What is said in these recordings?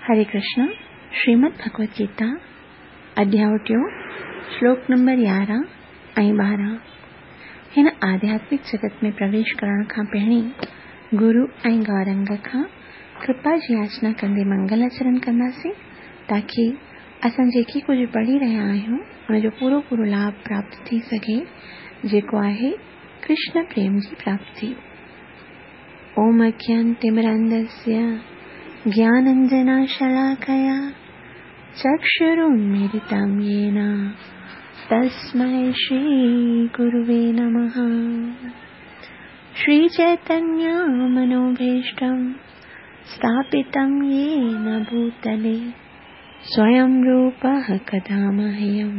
हरे कृष्ण। श्रीमद् भगवत गीता अध्याय टियों, श्लोक नंबर 11 ऐं 12। हिन आध्यात्मिक जगत में प्रवेश करण खां पहिरीं गुरु ऐं गौरंग खां कृपा जी याचना कंदे मंगल आचरण कंदासीं, ताकी असां जेकी कुझु पढ़ी रहिया आहियूं उनजो पूरो पूरो लाभ प्राप्त थी सघे, जेको आहे कृष्ण प्रेम जी प्राप्ति। ओम अज्ञानतिमिरान्धस्य ज्ञानाञ्जनशलाकया चक्षुरुन्मीलितं येन तस्मै श्रीगुरुवे नमः। श्रीचैतन्यमनोभीष्टं स्थापितं येन भूतले स्वयं रूपः कदा मह्यं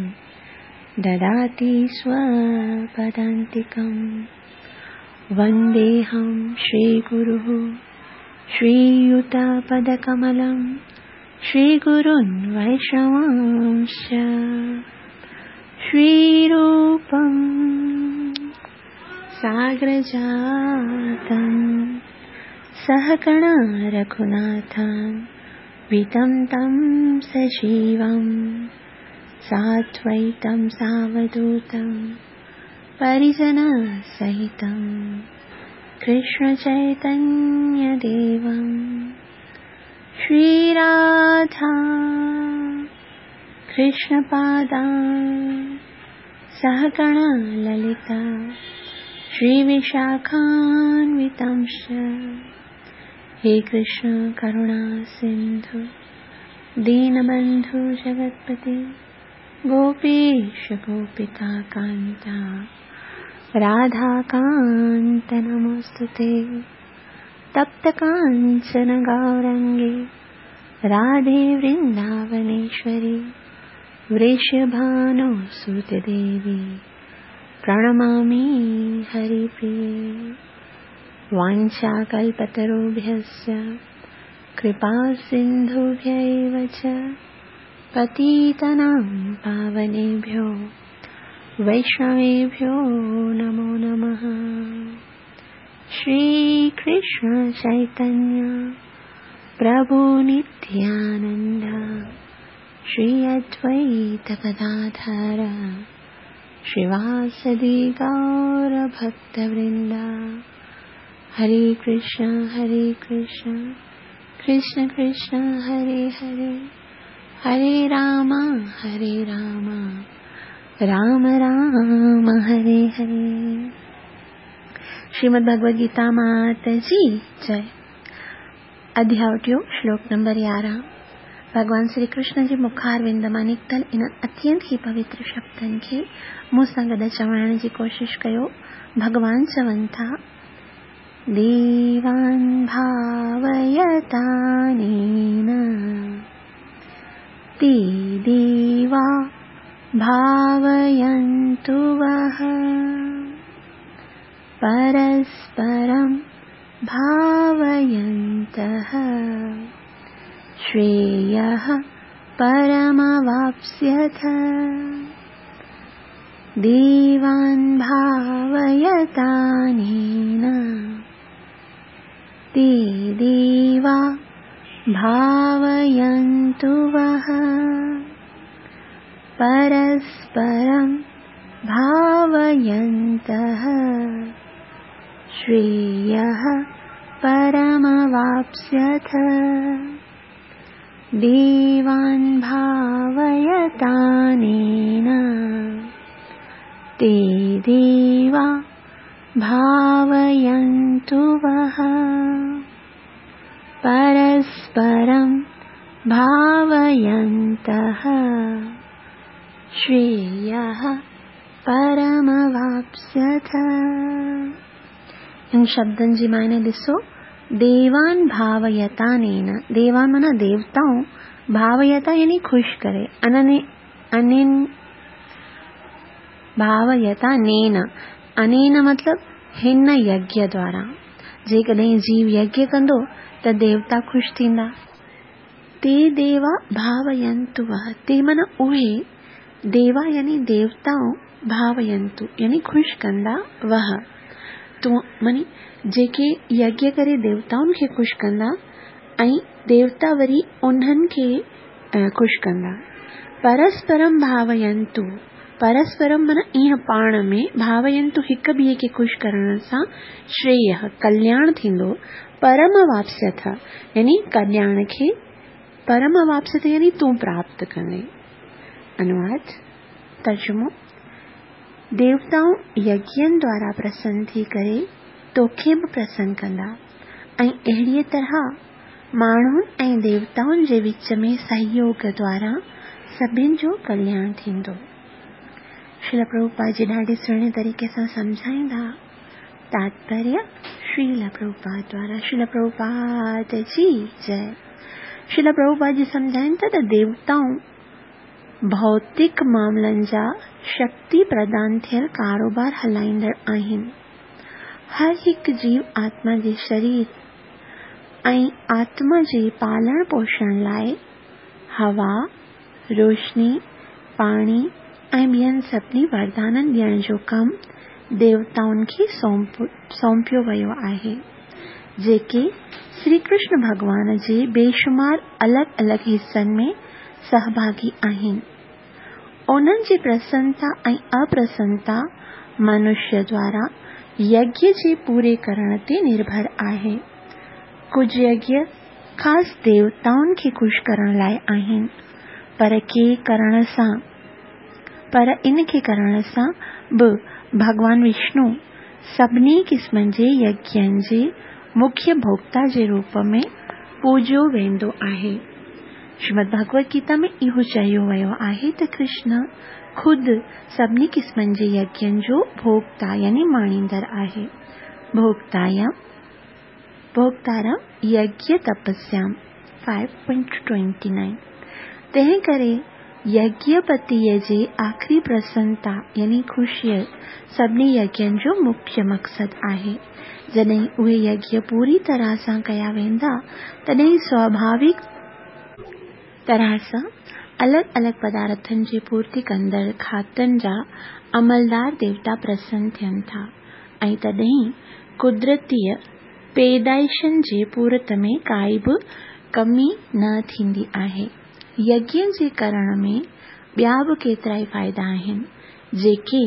ददाति स्वपदान्तिकं। वन्देऽहं श्रीगुरुः श्रीयुतपदकमलं श्रीगुरुन् वैष्णवांश्च। श्रीरूपं साग्रजातं सहगणा रघुनाथं वितं तं सजीवं साद्वैतं सावधूतं परिजनसहितं कृष्ण चैतन्य देवं। श्रीराधा कृष्णपादां सहगणा ललिता श्रीविशाखान्वितांश्च। हे कृष्ण करुणा सिंधु दीनबंधु जगत्पते गोपेश गोपिका कांता राधाकान्त नमोस्तुते। तप्त कांचन गौरंगे राधे वृंदावनेश्वरी वृषभानुसुते देवी प्रणमामि हरिप्रिये। वाञ्छाकल्पतरुभ्यश्च कृपा सिन्धुभ्यैव च पतितानां पावनेभ्यो वैष्णवेभ्यो नमो नमः। श्री कृष्ण चैतन्य प्रभु नित्यानंद श्री अद्वैत गदाधर श्रीवासदि गौर भक्तवृंद। हरे कृष्ण कृष्ण कृष्ण हरे हरे, हरे राम राम राम हरे हरे। श्रीमद् भगवद गीता मात जी जय। अध्याय टियों, श्लोक नंबर 11। भॻवान श्री कृष्ण जे मुखारविंद मां निकितल इन अत्यंत ई पवित्र शब्दनि खे मूं सां गॾु चवाइण जी कोशिश कयो। भॻवान चवनि था, देवान् भावयतानेन ते देवा भावयन्तु वः, परस्परं भावयन्तः श्रेयः परमवाप्स्यथ। देवान् भावयतानेन ते देवा भावयन्तु वः, परस्परं भावयन्तः श्रेयः परमवाप्स्यथ। देवान् भावयतानेन ते देवा भावयन्तु वः, परस्परं भावयन्तः श्रेयः परमवाप्स्यथ। इन शब्दनि जी मायने ॾिसो, देवान भावयतानेन, देवान माना देवताऊं, भावयता यानी खुश करे, अनने अनेन भावयतानेन, अनेन मतलब हिन यज्ञ द्वारा। जेकॾहिं जीव यज्ञ कंदो त देवता खुश थींदा। ते देवा भावयन्तु वः, ते माना उहे, देवा यानी देवताऊं, भावयन्तु यानी खुश कंदा, वह तो मानी जेके यज्ञ करे देवताउनि खे खुश कंदा ऐं देवता वरी उन्हनि खे ख़ुशि कंदा। परस्परम भावयंतु, परस्परम माना ईअं पाण में, भावयंतु हिक ॿिए खे ख़ुशि करण सां श्रेय कल्याण थींदो, परम वापस्यथ यानी कल्याण खे, परम वापस्यथ यानी तूं प्राप्त कंदे। अनुवाद तर्जुमो, देवताऊं यज्ञनि द्वारा प्रसन्न थी करे तोखे बि प्रसन्न कंदा ऐं अहिड़ीअ तरह माण्हुनि ऐं देवताउनि जे विच में सहयोग द्वारा सभिनी जो कल्याण थींदो। श्रील प्रभुपाद जी ॾाढे सुहिणे तरीक़े सां सम्झाईंदा। तात्पर्य श्रील प्रभुपाद द्वारा। श्रील प्रभुपाद जी जय। श्रील प्रभुपाद जी सम्झाइनि था त देवताऊं भौतिक मामलनि जा शक्ति प्रदान थियल कारोबार हलाईंदड़ आहिनि। हर हिकु जीव आत्मा जे शरीर ऐं आत्मा जे पालण पोषण लाइ हवा, रोशनी, पाणी ऐं ॿियनि सभिनी वरदाननि ॾियण जो कमु देवताउनि खे सौंपियो वियो आहे, जेके श्री कृष्ण भॻवान जे बेशुमार अलॻि अलॻि हिसनि में सहभागी आहिनि। उन्हनि जी प्रसन्नता ऐं अप्रसन्नता मनुष्य द्वारा यज्ञ जे पूरे करण ते निर्भर आहे। कुझु यज्ञ ख़ासि देवताउनि खे ख़ुशि करण लाइ आहिनि, पर इन खे करण सां बि भॻवान विष्णु सभिनी क़िस्मनि जे यज्ञनि जे मुख्य भोक्ता जे रूप में पूज्यो वेंदो आहे। श्रीमद् भगवद गीता में इहो चयो वियो आहे त कृष्ण ख़ुदि सभिनी क़िस्मनि जे यज्ञनि जो भोक्ता यानी माणींदड़ आहे। भोक्तारम यज्ञ तपस्याम 5.29। तंहिं करे यज्ञपतीअ जे आख़िरी प्रसन्नता यानी ख़ुशीअ सभिनी यज्ञनि जो मुख्य मक़सदु आहे। जॾहिं उहे यज्ञ पूरी तरह सां कया वेंदा तॾहिं स्वाभाविक तरह सां अलॻि अलॻि पदार्थनि जी पूर्ति कंदड़ खातनि जा अमलदार देवता प्रसन्न थियनि था ऐं तॾहिं कुदरतीअ पैदाइशनि जे पूरत में काई बि कमी न थींदी आहे। यज्ञ जे करण में ॿिया बि केतिरा ई फ़ाइदा आहिनि, जेके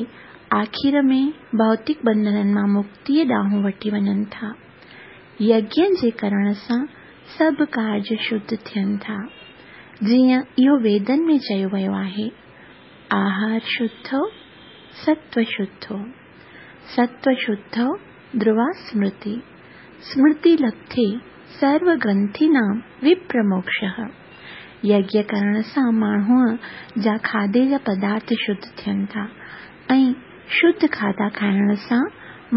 आख़िर में भौतिक बंधननि मां मुक्तीअ ॾांहुं वठी वञनि था। यज्ञ जे करण सां सभु कार्य शुद्ध थियनि था, जीअं इहो वेदनि में चयो वियो आहे, आहार शुद्धो सत्व शुद्धो, सत्व शुद्धो ध्रुवा स्मृति, स्मृति लब्धे सर्व ग्रंथीनां विप्रमोक्षः। यज्ञ करण सां माण्हूअ जा खाधे जा पदार्थ शुद्ध थियनि था ऐं शुद्ध खाधा खाइण सां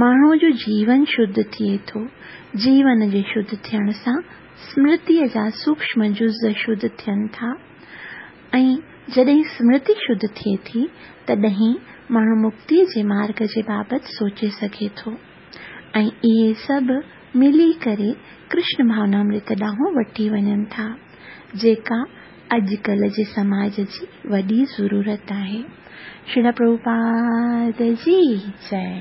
माण्हूअ जो जीवन शुद्ध थिए थो। जीवन जे शुद्ध थियण सां स्मृतीअ जा सूक्ष्म जुज़ शुद्ध थियनि था ऐं जॾहिं स्मृति शुद्ध थिए थी तॾहिं माण्हू मुक्तीअ जे मार्ग जे बाबति सोचे सघे थो ऐं इहे सभु मिली करे कृष्ण भावनामृत ॾांहुं वठी वञनि था, जेका अॼुकल्ह जे समाज जी वॾी ज़रूरत आहे। श्रील प्रभुपाद जी जय।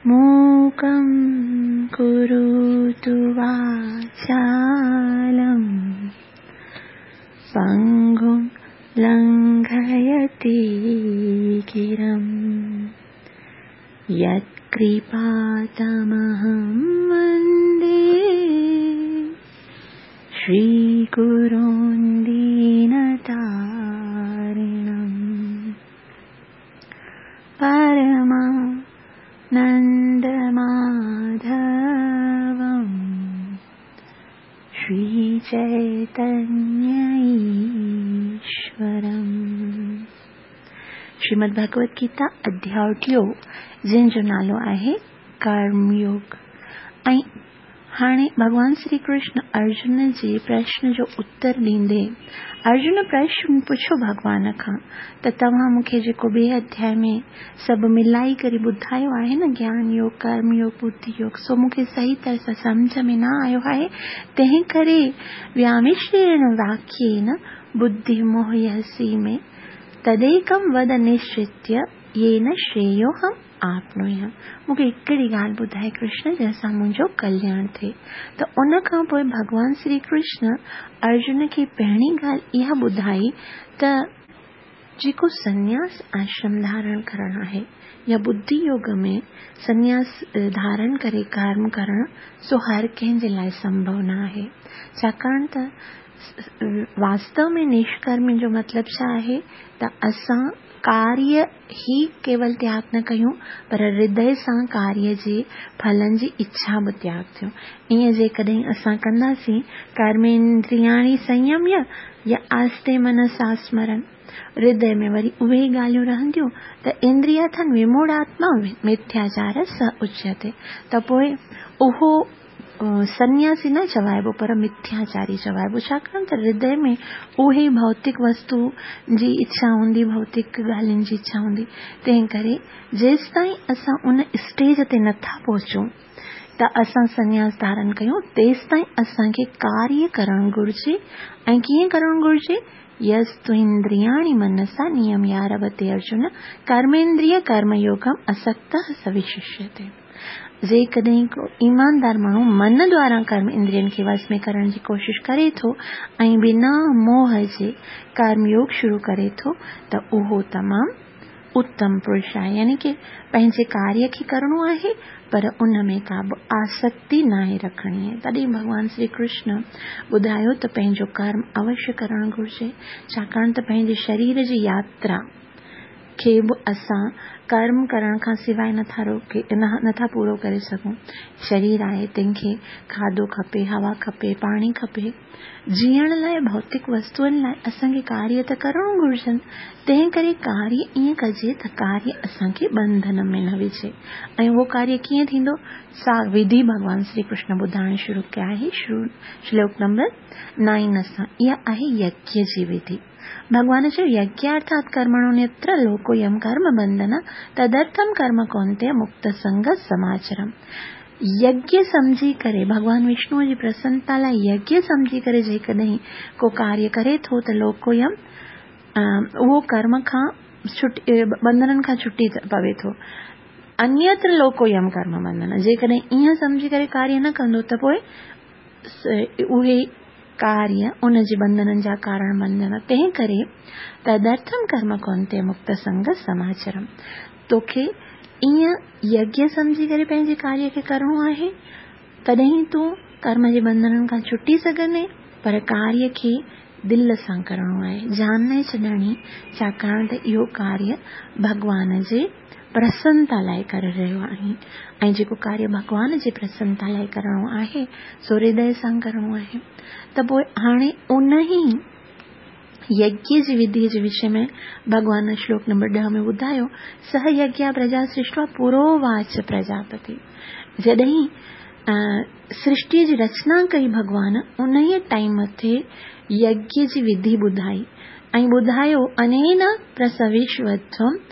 मूकं करोतु वाचालं पङ्गुं लङ्घयते गिरिं, यत्कृपातमहं वन्दे श्रीगुरुं दीनतारिणं परमानन्दमाधवं श्रीचैतन्यईश्वरम्। श्रीमद् भगवद गीता अध्याय टियों, जंहिंजो नालो आहे कर्मयोग। ऐं हाणे भॻवान श्री कृष्ण अर्जुन जे प्रश्न जो उत्तर ॾींदे अर्जुन प्रश्न पुछियो भॻवान खां त तव्हां मूंखे जेको ॿिए अध्याय में सभु मिलाई करे ॿुधायो आहे न, ज्ञान योग, कर्म योग, बुद्धि योग, सो मूंखे सही तरह सां सम्झ में न आयो आहे, तंहिं करे व्यामिश्रेण वाक्येन बुद्धि मोहयसि में तदेकं वद निश्चित्य येन श्रेयोऽहम् आपनोयाम। मूंखे हिकिड़ी ॻाल्हि ॿुधाए कृष्ण, जंहिंसां मुंहिंजो कल्याण थिए। त उन खां पोइ भॻवान श्री कृष्ण अर्जुन खे पहिरीं ॻाल्हि इहा ॿुधाई त जेको सन्यास आश्रम धारण करणु आहे या बुद्धि योग में सन्यास धारण करे कर्म करणु, सो हर कंहिंजे लाइ संभव न आहे। छाकाणि त वास्तव में निष्कर्म जो मतिलबु छा आहे त असां कार्य ही केवल त्याग न कयूं, पर हृदय सां कार्य जे फलनि जी इच्छा बि त्याग थियूं। ईअं जेकॾहिं असां कंदासीं, कर्मेंद्रियाणि संयम्य या आस्ते मनसा स्मरण, हृदय में वरी उहे ॻाल्हियूं रहंदियूं त इंद्रियाथन विमूढ़ात्मा मिथ्याचार स उच्यते। त पोइ उहो सन्यासी न चवाइबो पर मिथ्याचारी चवाइबो, छाकाणि त हृदय में उहे भौतिक वस्तु जी इच्छा हूंदी, भौतिक ॻाल्हियुनि जी इच्छा हूंदी। तंहिं करे जेसि ताईं असां उन स्टेज ते नथा पहुचूं त असां सन्यास धारण कयूं, तेसि ताईं असांखे कार्य करणु घुरिजे। ऐं कीअं करणु घुरिजे? यस्तु इंद्रियाणि मनसा नियम्यारभते अर्जुन कर्मेंद्रिय कर्मयोगम असक्तः स विशिष्यते। जेकॾहिं को ईमानदार माण्हू मन द्वारा कर्म इंद्रियनि खे वश में करण जी कोशिशि करे थो ऐं बिना मोह जे कर्मयोग शुरू करे थो त उहो तमामु उत्तम पुरुष आहे। यानी की पंहिंजे कार्य खे करिणो आहे पर उन में का बि आसक्ति नाहे रखणी आहे। तॾहिं भॻवान श्री कृष्ण ॿुधायो त पंहिंजो कर्म अवश्य करणु घुरिजे, छाकाणि त पंहिंजे शरीर जी यात्रा खे बि असां कर्म करण खां सवाइ नथा रोके, नथा पूरो करे सघूं। शरीर आहे तंहिंखे खाधो खपे, हवा खपे, पाणी खपे, जीअण लाइ भौतिक वस्तुअनि लाइ असांखे कार्य त करणो घुरिजनि। तंहिं करे कार्य ईअं कजे त कार्य असांखे बंधन में न विझे। ऐं उहो कार्य कीअं थींदो, सा विधि भॻवान श्री कृष्ण ॿुधाइण शुरू कया आहे श्लोक नंबर 9 सां। इहा आहे यज्ञ जी विधि। भॻवान चयो यज्ञार्थात् कर्मणोऽन्यत्र लोकोऽयं कर्म बंधन तदर्थम कर्म कौन्तेय मुक्त संग समाचरम। यज्ञ सम्झी करे भॻवान विष्णुअ जी प्रसन्नता लाइ यज्ञ सम्झी करे जेकॾहिं को कार्य करे थो त लोकोऽयं उहो कर्म खां छुटी, बंधननि खां छुटी पवे थो। अन्यत्र लोकोऽयं कर्म बंधन, जेकॾहिं ईअं सम्झी करे कार्य न कंदो त पोइ उहे कार्य उन जे बंधननि जा कारण बणजंदा। तंहिं करे तदर्थम कर्म कौन्तेय मुक्त संग समाचरम, तोखे ईअं यज्ञ सम्झी करे पंहिंजे कार्य खे करिणो आहे तॾहिं तूं कर्म जे बंधननि खां छुटी सघंदे, पर कार्य खे दिलि सां करिणो आहे, जान न छॾणी, छाकाणि त इहो कार्य भॻवान जे प्रसन्नता लाइ करे रहियो आहीं ऐं जेको कार्य भॻवान जे प्रसन्नता लाइ करिणो आहे सो हृदय सां करिणो आहे। त पोइ हाणे उन ई यज्ञ जी विधि जे विषय में भॻवान श्लोक नंबर 10 में ॿुधायो, सह यज्ञ प्रजा सृष्टवा पुरोवाच प्रजापति। जॾहिं सृष्टीअ जी रचना कई भॻवान, उन ई टाइम ते यज्ञ जी विधि ॿुधाई ऐं ॿुधायो अनेन प्रसविष्वत्वम्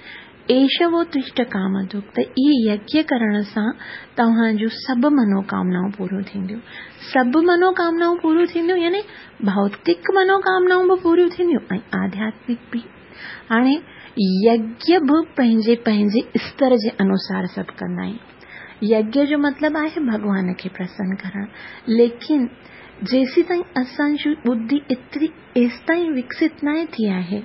एषवो तुष्ट कामदुख, त इहे यज्ञ करण सां तव्हांजूं सभु मनोकामनाऊं पूरियूं थींदियूं। सभु मनोकामनाऊं पूरियूं थींदियूं यानी भौतिक मनोकामनाऊं बि पूरियूं थींदियूं ऐं आध्यात्मिक बि। हाणे यज्ञ बि पंहिंजे पंहिंजे स्तर जे अनुसार सभु कंदा आहिनि। यज्ञ जो मतिलबु आहे भॻवान खे प्रसन्न करणु, लेकिन जेसी ताईं असांजी बुद्धि एतिरी एसि ताईं विकसित न थी आहे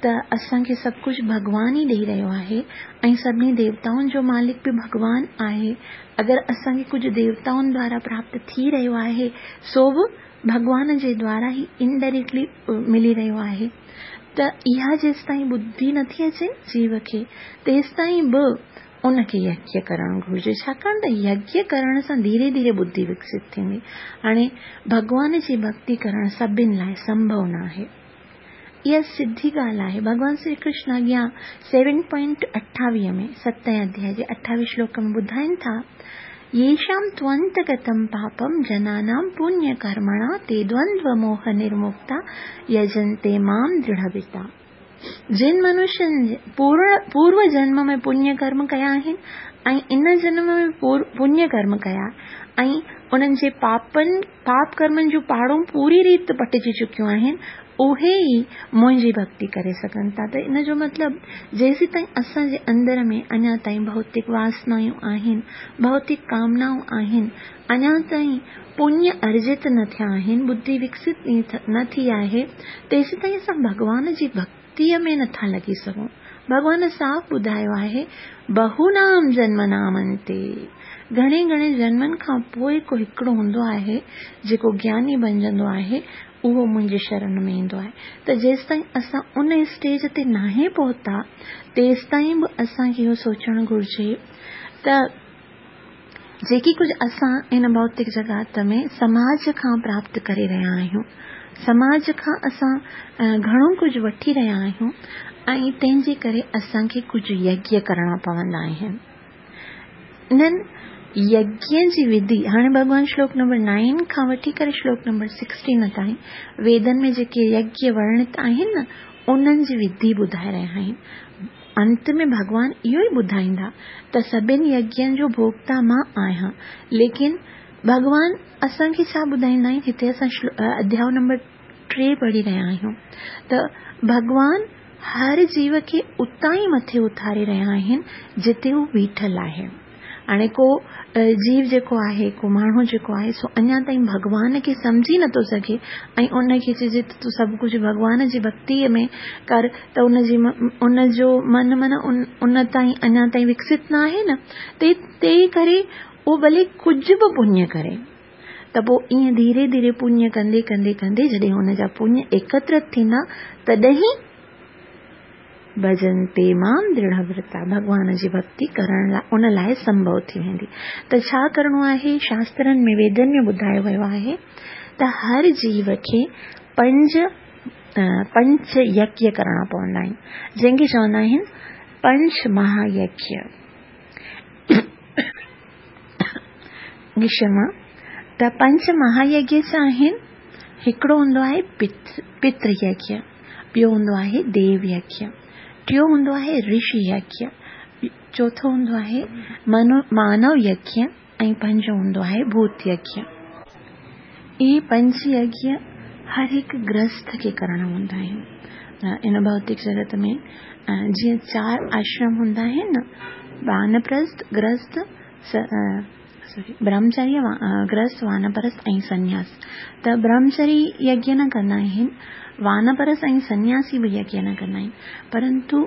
त असांखे सभु कुझु भॻवान ई ॾेई रहियो आहे ऐं सभिनी देवताउनि जो मालिक बि भॻवान आहे। अगरि असांखे कुझु देवताउनि द्वारा प्राप्त थी रहियो आहे सो बि भॻवान जे द्वारा ई इनडायरेक्टली मिली रहियो आहे। त इहा जेसि ताईं बुद्धि नथी अचे जीव खे तेसि ताईं बि उनखे यज्ञ करणु घुरिजे, छाकाणि त यज्ञ करण सां धीरे धीरे बुद्धि विकसित थींदी। हाणे भॻवान जी भक्ति करणु सभिनी लाइ संभव न आहे, इहा सिधी ॻाल्हि आहे। भॻवान श्री कृष्ण अॻियां 7.28 में 7 अध्याय जे 28 श्लोक में ॿुधाइनि था, येषां त्वन्तगतं पापं जनानां पुण्यकर्मणा ते द्वन्द्व मोह निर्मुक्ता यजन्ते मां दृढ़व्रता। जिन मनुष्यनि पूर्व जन्म में पुण्य कर्म कया आहिनि ۽ ان جنم ۾ پڃ ڪرم ڪيا ۽ انهن جي پاپن، پاپ ڪرمن جون پاڙون پوري ريت پٽجي چڪيون آهن، اهي ئي منهنجي ڀڳتي ڪري سگهن ٿا ته ان جو مطلب جيسيتائين اسان جي اندر ۾ اڃا تائين ڀوتڪ واسنايون آهن، ڀوتڪ ڪامنائون آهن، اڃا تائين پڃ ارجت نه ٿيا آهن، ٻڌي وڪست نه ٿي آهي، تيسيتائين اسان ڀڳوان جي ڀڳتيء ۾ نٿا لڳي سگهون. ڀڳوان صاف ٻڌايو آهي، بهونام جنمنام انتي، گهڻي گهڻي جنمن کان پوء ڪو هڪڙو هوندو آهي، جيڪو گياني بنجندو آهي، اهو منهنجي شرن ۾ ايندو آهي ته جيستائين اسان ان اسٽيج تي ناهي پهتا، تيستائين به اسان کي اهو سوچڻ گهرجي ته جيڪي ڪجهه اسان هن ڀوتڪ جڳت ۾ سماج کان پراپت ڪري رهيا آهيون، سماج کان اسان گهڻو ڪجهه وٺي رهيا آهيون ۽ تنهن جي ڪري اسان کي ڪجهه يگيه ڪرڻا پوندا آهن. انهن يگين جي وڌي هاڻي ڀڳوان شلوڪ نمبر نائن کان وٺي ڪري شلوڪ نمبر سڪسٽين تائين ويدن ۾ جيڪي يگيه ورڻت آهن نه انهن جي وڌي ٻڌائي رهيا آهن. انت ۾ ڀڳوان اهو ئي ٻڌائيندا ته سڀن يگين جو ڀوڳتا مان آهيان. ليڪن ڀڳوان اسان کي ڇا ٻڌائيندا آهن؟ هتي اسان اڌياء نمبر 3 پڙهي رهيا آهيون ته ڀڳوان هر جيو کي اتان ئي مٿي اٿاري رهيا آهن جتي هو بيٺل آهي. هاڻي ڪو جيو جيڪو آهي، ڪو ماڻهو جيڪو آهي سو اڃا تائين ڀڳوان کي سمجهي نٿو سگهي ۽ ان کي چئجي ته تون سڀ ڪجهه ڀڳوان جي ڀڳتيء ۾ ڪر ته ان جي ان جو من معنيٰ ان تائين اڃا تائين وڪست نه آهي نه تنهن ڪري اهو ڀلي ڪجهه به پڃ ڪري ته پوء ائين ڌيري ڌيري پڃ ڪندي ڪندي ڪندي جڏهن ان جا پڃ ايڪترت ٿيندا تڏهن ڀجنتي مام درڙهه ورتا، ڀڳوان جي ڀڳتي ڪرڻ لاء ان لاء سنڀو ٿي ويندي. ته ڇا ڪرڻو آهي؟ شاسترن ۾ ويدن ۾ ٻڌايو ويو آهي ته هر جيو کي پنج پنچ يگيه ڪرڻا پوندا آهن، جنهن کي چوندا آهن پنچ مها يگيه. کشما، ته پنچ مها يگيه ڇا آهن؟ هڪڙو هوندو آهي پتر يگيه. ٻيو هوندو آهي ديو يگيه، ٽيون هوندو آهي رشي يگيه، چوٿون هوندو آهي مانو يگيه ۽ پنجون هوندو آهي ڀوت يگيه. اهي پنج يگيه هر هڪ گرهست کي ڪرڻا هوندا آهن. ان ڀوتڪ جڳت ۾ جيئن چار آشرم هوندا آهن نه، وانپرست، گرهست، برهمچريه، گرهست، وانپرست ۽ سنياس ته برهمچري يگيه نه ڪندا آهن، وانپرست ۽ سنياسي به يگيه نه ڪندا آهن، پرنتو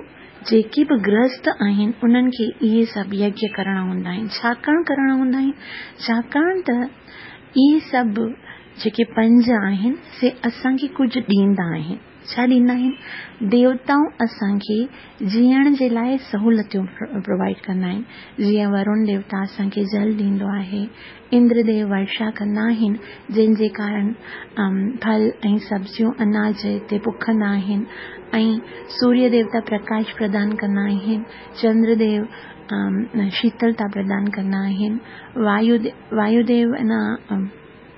جيڪي به گرهست آهن انهن کي اهي سڀ يگيه ڪرڻا هوندا آهن. ڇاڪاڻ ڪرڻا هوندا آهن؟ ڇاڪاڻ ته اهي سڀ جيڪي پنج آهن سي اسان کي ڪجهه ڏيندا آهن. ڇا ڏيندا آهن؟ ديوتائون اسان کي جيئڻ جي لاء سهولتيون پرووائيڊ ڪندا آهن، جيئن ورون ديوتا اسان کي جل ڏيندو آهي، اندر ديو ورشا ڪندا آهن، جنهن جي ڪارڻ ڦل ۽ سبزيون اناج هتي پوکندا آهن ۽ سوريه ديوتا پرڪاش پردان ڪندا آهن، چندر ديو شيتلتا پردان ڪندا آهن، وايو ديو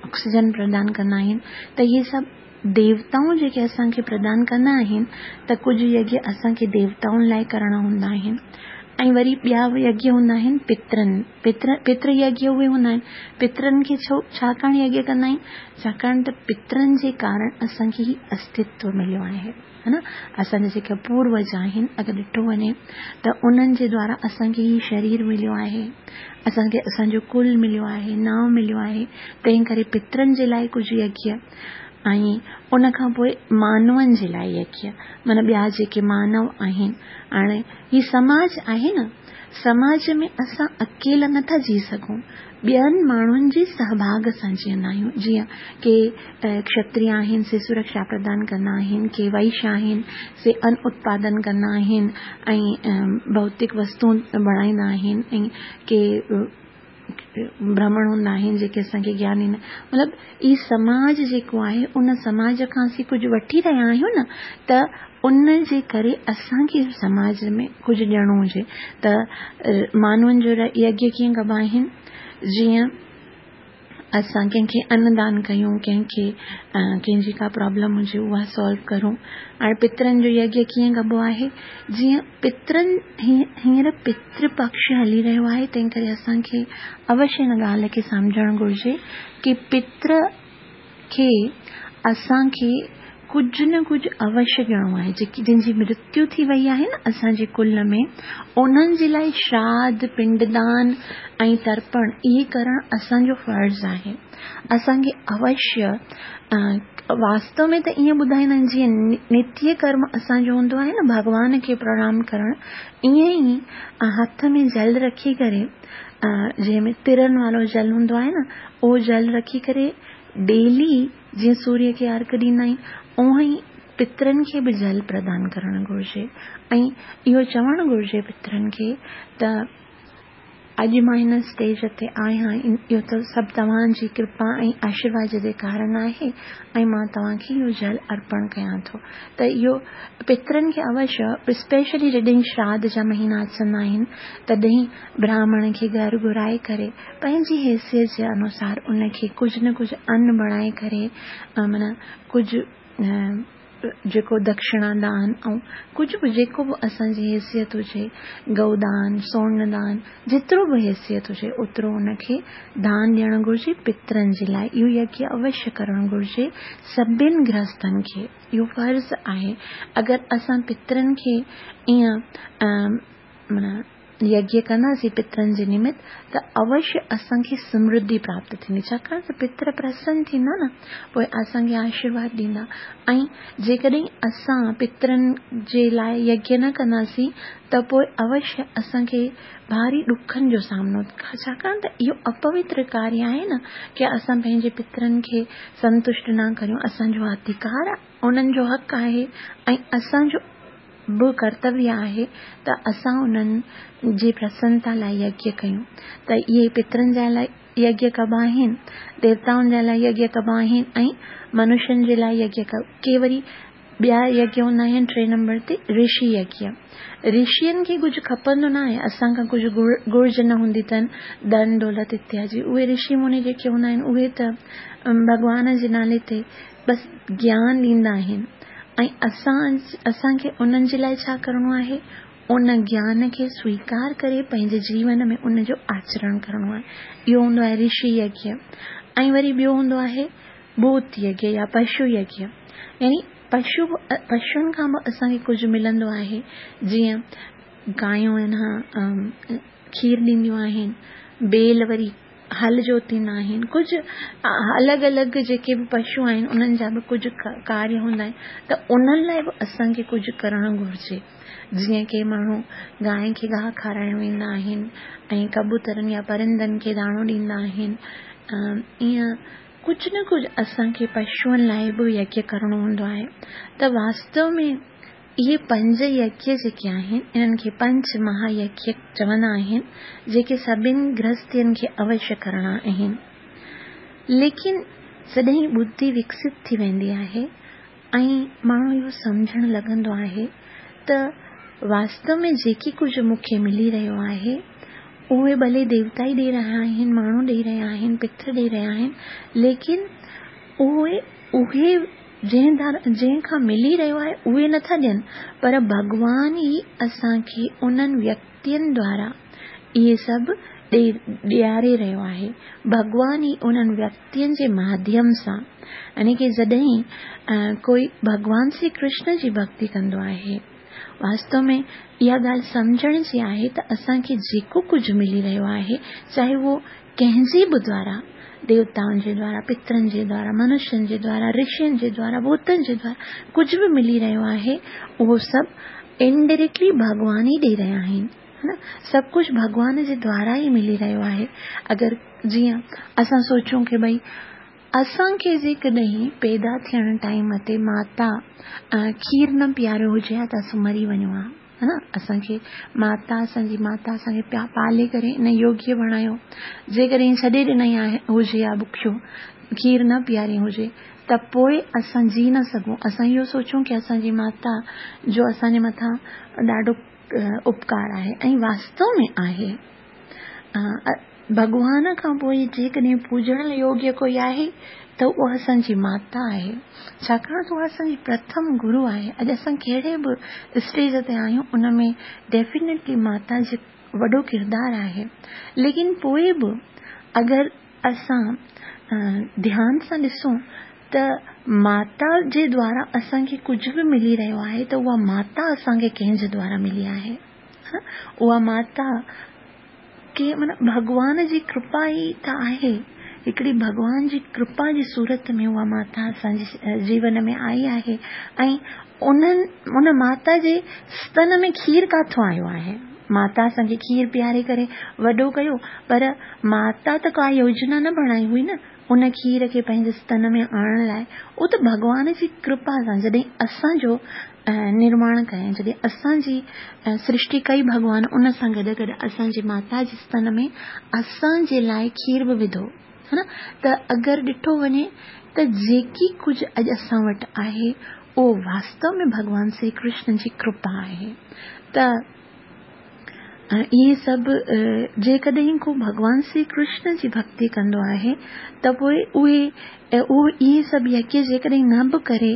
آڪسيجن پردان ڪندا آهن ته اهي سڀ ديوتائون جيڪي اسان کي پردان ڪندا آهن ته ڪجهه يگيه اسان کي ديوتائن لاء ڪرڻا هوندا آهن ۽ وري ٻيا يگيه هوندا آهن پترن پتر پتر يگيه اهي هوندا آهن پترن کي ڇو ڇاڪاڻ يگيه ڪندا آهن ڇاڪاڻ ته پترن جي ڪارڻ اسان کي هي استتو مليو آهي ها نه اسان جا جيڪا پوروج آهن اگر ڏٺو وڃي ته انهن جي دوارا اسان کي هي شرير مليو آهي اسان کي اسان جو ڪل مليو آهي نانء مليو آهي تنهن ڪري پترن جي لاء ڪجهه يگيه ۽ ان کان پوء مانون جي لاء يگيه معنيٰ ٻيا جيڪي مانو آهن. هاڻي هي سماج آهي نه، سماج ۾ اسان اڪيلا نه ٿا جي سگهون، ٻين ماڻهن جي سهڀاڳ سان جيئندا آهيون. جيئن ڪي کشتري آهن سي سرڪشا پردان ڪندا آهن، ڪي وئش آهن سي ان اتپادن ڪندا آهن ۽ ڀوتڪ وستون بڻائيندا آهن ۽ ڪي برهمڻ هوندا آهن جيڪي اسان کي گيان ڏيندا مطلب هي سماج جيڪو آهي ان سماج کان اسين ڪجهه وٺي رهيا آهيون نه ته ان جي ڪري اسان کي سماج ۾ ڪجهه ڏيڻو هجي ته مانون جو يگيه ڪيئن ڪبا آهن جيئن اسان ڪنهن کي ان دان ڪيون، ڪنهن کي ڪنهن جي ڪا پرابلم هجي اها سالو ڪرون. هاڻي پترن جو يگيه ڪيئن ڪبو آهي؟ جيئن پترن هينئر پتر پڪش هلي رهيو آهي تنهن ڪري اسان کي اوشيه هن ڳالهه کي سمجهڻ گهرجي ڪي پتر کي اسان کي ڪجهه نه ڪجهه اوشيه ڏيڻو آهي. جيڪي جن جي مرتيو ٿي وئي آهي نه اسان جي ڪل ۾ انهن جي لاء شراڌ، پنڊدان ۽ ترپڻ اهي ڪرڻ اسان جو فرض آهي. اسان کي اوشيه واستو ۾ ته ائين ٻڌائيندا آهن جيئن نتيه ڪرم اسان جو هوندو آهي نه ڀڳوان کي پرڻام ڪرڻ ائين ئي هٿ ۾ جل رکي ڪري جنهن ۾ ترن وارو جل هوندو آهي نه اهو جل رکي ڪري ڊيلي جيئن سوريه کي ارڪ ڏيندا آهيون اونهن ئي پترن کي به جل پردان ڪرڻ گهرجي ۽ اهو چوڻ گهرجي پترن کي ته اڄ مان هن اسٽيج تي آهيان اهو ته سڀ توهان جي ڪرپا ۽ آشيرواد جي ڪارڻ آهي ۽ مان توهان کي اهو جل ارپڻ ڪيان ٿو ته اهو پترن کي اوشيه اسپيشلي جڏهن شراڌ جا مهينا اچندا آهن تڏهن براهمڻ کي گهر گهرائي ڪري پنهنجي حيثيت جي انوسار ان کي ڪجهه نه ڪجهه ان بڻائي ڪري معنيٰ ڪجهه جيڪو دڪشڻا دان ۽ ڪجهه به جيڪو به اسان جي حيثيت هجي گئو دان سون دان جيترو به حيثيت هجي اوترو ان کي دان ڏيڻ گهرجي پترن جي لاء اهو يگيه اوشيه ڪرڻ گهرجي سڀن گرهستن کي اهو فرض آهي اگر اسان پترن کي ائين معنيٰ يگيه ڪنداسين پترن جي نمت ته اوشيه اسان کي سمرڌي پراپت ٿيندي ڇاڪاڻ ته پتر پرسن ٿيندا نه پوء اسان کي آشيرواد ڏيندا ۽ جيڪڏهن اسان پترن جي لاء يگيه نه ڪنداسين ته پوء اوشيه اسان کي ڀاري ڏکن جو سامنو ڇاڪاڻ ته اهو اپوتر ڪاريه آهي نه ڪي اسان پنهنجي پترن کي سنتشٽ نه ڪريون اسان جو اڌڪار انهن جو حق آهي ۽ اسان جو به ڪرتويه آهي ته اسان انهن جي پرسنتا لاء يگيه ڪيون ته اهي پترن جا لاء يگيه ڪبا آهن، ديوتائن جا لاء يگيه ڪبا آهن ۽ منشين جي لاء يگيه ڪبا ڪي وري ٻيا يگيه هوندا آهن ٽي نمبر تي رشي يگيه رشين کي ڪجهه کپندو نه آهي اسان کان ڪجهه گهرج نه هوندي اٿن ڌن دولت اتيا جي اهي رشي مني جيڪي هوندا آهن اهي ته ڀڳوان جي نالي تي بس گيان ڏيندا آهن ۽ اسان اسان کي انهن جي لاء ڇا ڪرڻو آهي؟ ان گيان کي سويڪار ڪري پنهنجي جيون ۾ ان جو آچرڻ ڪرڻو آهي. اهو هوندو آهي رشي يگيه ۽ وري ٻيو هوندو آهي ڀوت يگيه يا پشو يگيه يعني پشو پشن کان به اسان کي ڪجهه ملندو آهي جيئن گايون آهن کير ڏينديون آهن بيل وري هل جوتيندا آهن ڪجهه الڳ الڳ جيڪي به پشو آهن انهن جا به ڪجهه ڪاريه هوندا آهن ته انهن لاء به اسان کي ڪجهه ڪرڻ گهرجي جيئن ڪي ماڻهو گانء کي گاهه کارائڻ ويندا آهن ۽ ڪبوترن يا پرندن کي داڻو ڏيندا آهن ائين ڪجهه نه ڪجهه اسان کي پشوئن لاء به يگيه ڪرڻو هوندو آهي ته واستو ۾ اهي پنج يگيه جيڪي آهن، انهن کي پنچ مها يگيه چوندا آهن، جيڪي سڀن گرهستين کي اوشيه ڪرڻا آهن. ليڪن جڏهن ٻڌي وڪست ٿي ويندي آهي ۽ ماڻهو اهو سمجهڻ لڳندو آهي ته واستو ۾ جيڪي ڪجهه مون کي ملي رهيو آهي، اهي ڀلي ديوتا ئي ڏئي رهيا آهن، ماڻهو ڏئي رهيا آهن، پتر ڏئي رهيا آهن، ليڪن اهي اهي جنهن ڌار جنهن کان ملي رهيو آهي اهي نه ٿا ڏين پر ڀڳوان ئي اسان کي انهن ويڪتين دوارا اهي سڀ ڏئي ڏياري رهيو آهي ڀڳوان ئي انهن ويڪتين جي ماڌيم سان يعني ڪي جڏهن ڪوئي ڀڳوان شري ڪرشن جي ڀڳتي ڪندو آهي واستو ۾ اها ڳالهه سمجهڻ جي آهي ته اسان کي جيڪو ڪجهه ملي رهيو آهي چاهي اهو ڪنهن جي به دوارا، ديوتائن جي دوارا، پترن جي دوارا، منشين جي دوارا، رشين جي دوارا، ڀوتن جي دوارا، ڪجهه به ملي رهيو آهي، اهو سڀ انڊائريڪٽلي ڀڳوان ئي ڏئي رهيا آهن. ها نه؟ سڀ ڪجهه ڀڳوان جي دوارا ئي ملي رهيو آهي. اگر جيئن اسان سوچون ڪي ڀئي اسان کي جيڪڏهن پيدا ٿيڻ ٽائيم تي ماتا کير نه پياريو هجي ها ته اسان مري وڃون ها. ها نه اسان کي ماتا اسان جي ماتا اسان کي پيا پالي ڪري ان يوگيه بڻايو جيڪڏهن ڇڏي ڏنائين آهي هجي يا بکيو کير نه پياري هجي ته پوء اسان جي نه سگهون اسان اهو سوچون ڪي اسان جي ماتا جو اسان جي مٿان ڏاڍو اپڪار آهي ۽ واستو ۾ آهي. ڀڳوان کان پوء جيڪڏهن پوڄڻ يوگيه ڪوئي آهي ته اها اسان جي ماتا آهي، ڇاڪاڻ ته اها اسان جي پرٿم گرو آهي. اڄ اسان ڪهڙي به اسٽيج تي آهيون ان ۾ ڊيفينيٽلي ماتا جو وڏو ڪردار آهي، ليڪن پوء به اگر اسان ڌيان سان ڏسون ته ماتا جي دوارا اسان کي ڪجهه به ملي رهيو آهي ته اها ماتا اسان کي ڪنهن جي دوارا ملي آهي؟ اها ماتا ڪي معنيٰ ڀڳوان جي ڪرپا ئي ته آهي. هڪڙي ڀڳوان جي ڪرپا جي صورت ۾ اها ماتا اسان جي جيون ۾ آئي آهي ۽ انهن ان ماتا جي ستن ۾ کير ڪاٿو آيو آهي؟ ماتا اسان کي کير پياري ڪري وڏو ڪيو پر ماتا ته ڪا يوجنا نه بڻائي هئي نه ان کير کي پنهنجي ستن ۾ آڻڻ لاء اهو ته ڀڳوان جي ڪرپا سان جڏهن اسان جو نرماڻ ڪيائين جڏهن اسان جي سرشٽي ڪئي ڀڳوان ان سان گڏ گڏ اسان جي ماتا جي ستن ۾ اسان جي لاء کير به وڌو ها نه ته اگر ڏٺو وڃي ته جيڪي ڪجهه اڄ اسان وٽ آهي اهو واستو ۾ ڀڳوان شري ڪرشن جي ڪرپا آهي ته اهي سڀ جيڪڏهن ڪو ڀڳوان شري ڪرشن جي ڀڳتي ڪندو آهي ته پوء اهي اهو اهي سڀ يگيه جيڪڏهن نه به ڪري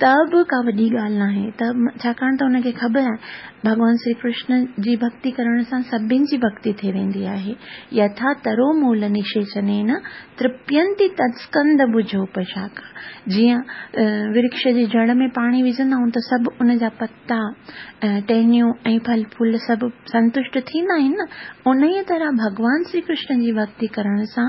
ته به ڪا وڏي ڳالهه ناهي ته ڇاڪاڻ ته ان کي خبر آهي ڀڳوان شري ڪرشن جي ڀڳتي ڪرڻ سان سڀن جي ڀڳتي ٿي ويندي آهي يٿا ترو مول نشيچنين ترپينتي تتسڪند ڀجوپشاکا جيئن ورڪش جي جڙ ۾ پاڻي وجهندا آهيون ته سڀ ان جا پتا، ٽهنيون ۽ ڦل ڦول سڀ سنتشٽ ٿيندا آهن نه، انهيء طرح ڀڳوان شري ڪرشن جي ڀڳتي ڪرڻ سان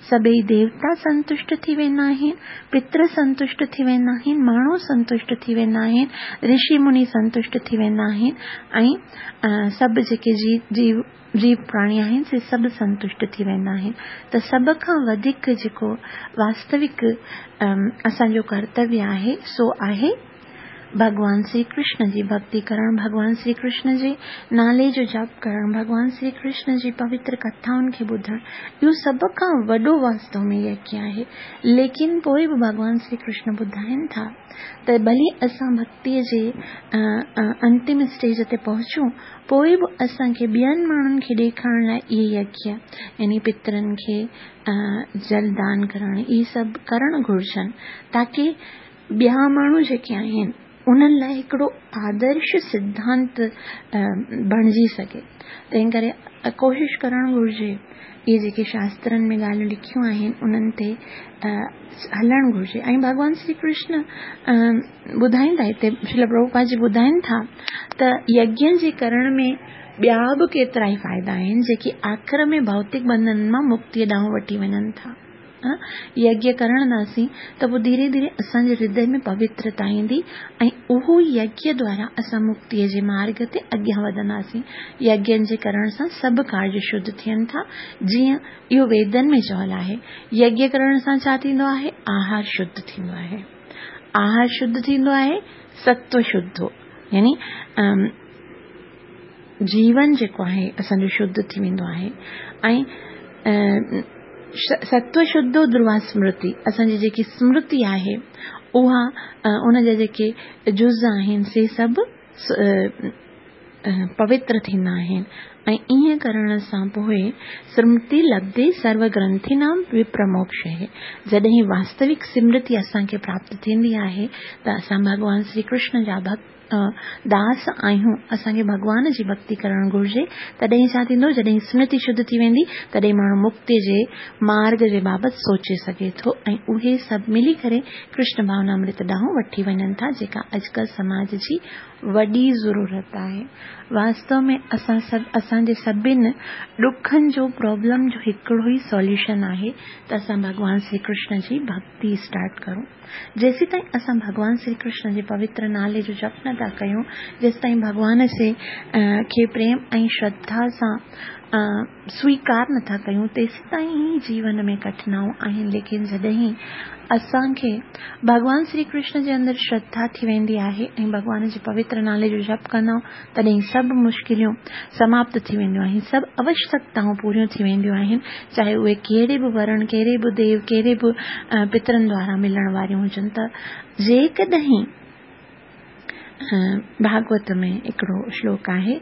سڀيئي ديوتا سنتشٽ ٿي ويندا آهن، پتر سنتشٽ ٿي ويندا آهن، ماڻهو سنتشٽ ٿي ويندا آهن، رشي مني سنتشٽ ٿي ويندا آهن ۽ سڀ جيڪي جيو جيو پراڻي آهن سي سڀ سنتشٽ ٿي ويندا آهن ته سڀ کان وڌيڪ جيڪو واستوڪ اسان جو ڪرتويه آهي سو آهي ڀڳوان شري ڪرشن جي ڀڳتي ڪرڻ، ڀڳوان شري ڪرشن جي نالي جو جپ ڪرڻ، ڀڳوان شري ڪرشن جي پوتر ڪٿائن کي ٻڌڻ، اهو سڀ کان وڏو واستو ۾ يگيه آهي. ليڪن پوء به ڀڳوان شري ڪرشن ٻڌائين ٿا ته ڀلي اسان ڀڳتيء جي انتم اسٽيج تي پهچون، پوء به اسان کي ٻين ماڻهن کي ڏيکارڻ لاء اهي يگيه يعني پترن کي جل دان ڪرڻ، اهي سڀ ڪرڻ گهرجن تاڪه ٻيا ماڻهو جيڪي آهن انهن لاء هڪڙو آدرش سڌانت بڻجي سگهي تنهن ڪري ڪوشش ڪرڻ گهرجي اهي جيڪي شاسترن ۾ ڳالهيون لکيون آهن انهن تي هلڻ گهرجي ۽ ڀڳوان شري ڪرشن ٻڌائين ٿا هتي شريل پرڀوپاد جي ٻڌائين ٿا ته يگيه جي ڪرڻ ۾ ٻيا به ڪيترا ئي فائدا آهن جيڪي آخر ۾ ڀوتڪ بنڌنن مان مڪتيء ڏانهن وٺي وڃن ٿا. يگيه ڪرنداسين ته پوء ڌيري ڌيري اسان جي هردي ۾ پوترتا ايندي ۽ اهو ئي يگيه دوارا اسان مڪتيء جي مارڳ تي اڳيان وڌنداسين. يگين جي ڪرڻ سان سڀ ڪارج شڌ ٿين ٿا، جيئن اهو ويدن ۾ چيل آهي. يگيه ڪرڻ سان ڇا ٿيندو آهي؟ آهار شڌ ٿيندو آهي. آهار شڌ ٿيندو آهي، ستو شڌ يعني جيون جيڪو آهي اسان جو شڌ ٿي ويندو آهي ۽ ستو شڌو ڌروا سمرتي اسان جي جيڪي سمرتي آهي اها ان جا جيڪي جز آهن سي سڀ پوتر ٿيندا آهن ۽ ائين ڪرڻ سان پوء سمرتي لبڌي سرو گرنٿينام وپرموڪش جڏهن واستوڪ سمرتي اسان کي پراپت ٿيندي آهي ته اسان ڀڳوان شري ڪرشن جا ڀڳت داس آهيون، اسان کي ڀڳوان جي ڀڳتي ڪرڻ گهرجي، تڏهن ڇا ٿيندو، جڏهن سمرتي شڌ ٿي ويندي، تڏهن ماڻهو مڪتي جي مارڳ جي بابت سوچي سگهي ٿو ۽ اهي سڀ ملي ڪري ڪرشن ڀاونامرت ڏانهن وٺي وڃن ٿا، جيڪا اڄڪلهه سماج جي وڏي ضرورت آهي. واستو ۾ اسان سڀ اسان جي سڀن ڏکن جو پرابلم جو هڪڙو ئي سوليوشن آهي ته اسان ڀڳوان شري ڪرشن جي ڀڳتي اسٽارٽ ڪرون. جيسيتائين اسان ڀڳوان شري ڪرشن جي پوتر نالي جو جپ نه ٿا ڪيون، جيستائين ڀڳوان سي کي پريم ۽ شرڌا سان سويڪار نه ٿا ڪيون، تيسيتائين ئي جيون ۾ ڪٺنائون آهن، ليڪن جڏهن اسان کي ڀڳوان شري ڪرشن جي اندر شرڌا ٿي ويندي آهي ۽ ڀڳوان جي پوتر نالي جو جپ ڪندا آهيون، تڏهن سڀ مشڪليون سماپت ٿي وينديون آهن، سڀ اوشڪتائون پوريون ٿي وينديون آهن، چاهي اهي ڪهڙي به ورڻ، ڪهڙي به ديو، ڪهڙي به پترن دوارا ملڻ واريون هجن ته جيڪڏهن ڀاڳوت ۾ هڪڙو شلوڪ آهي.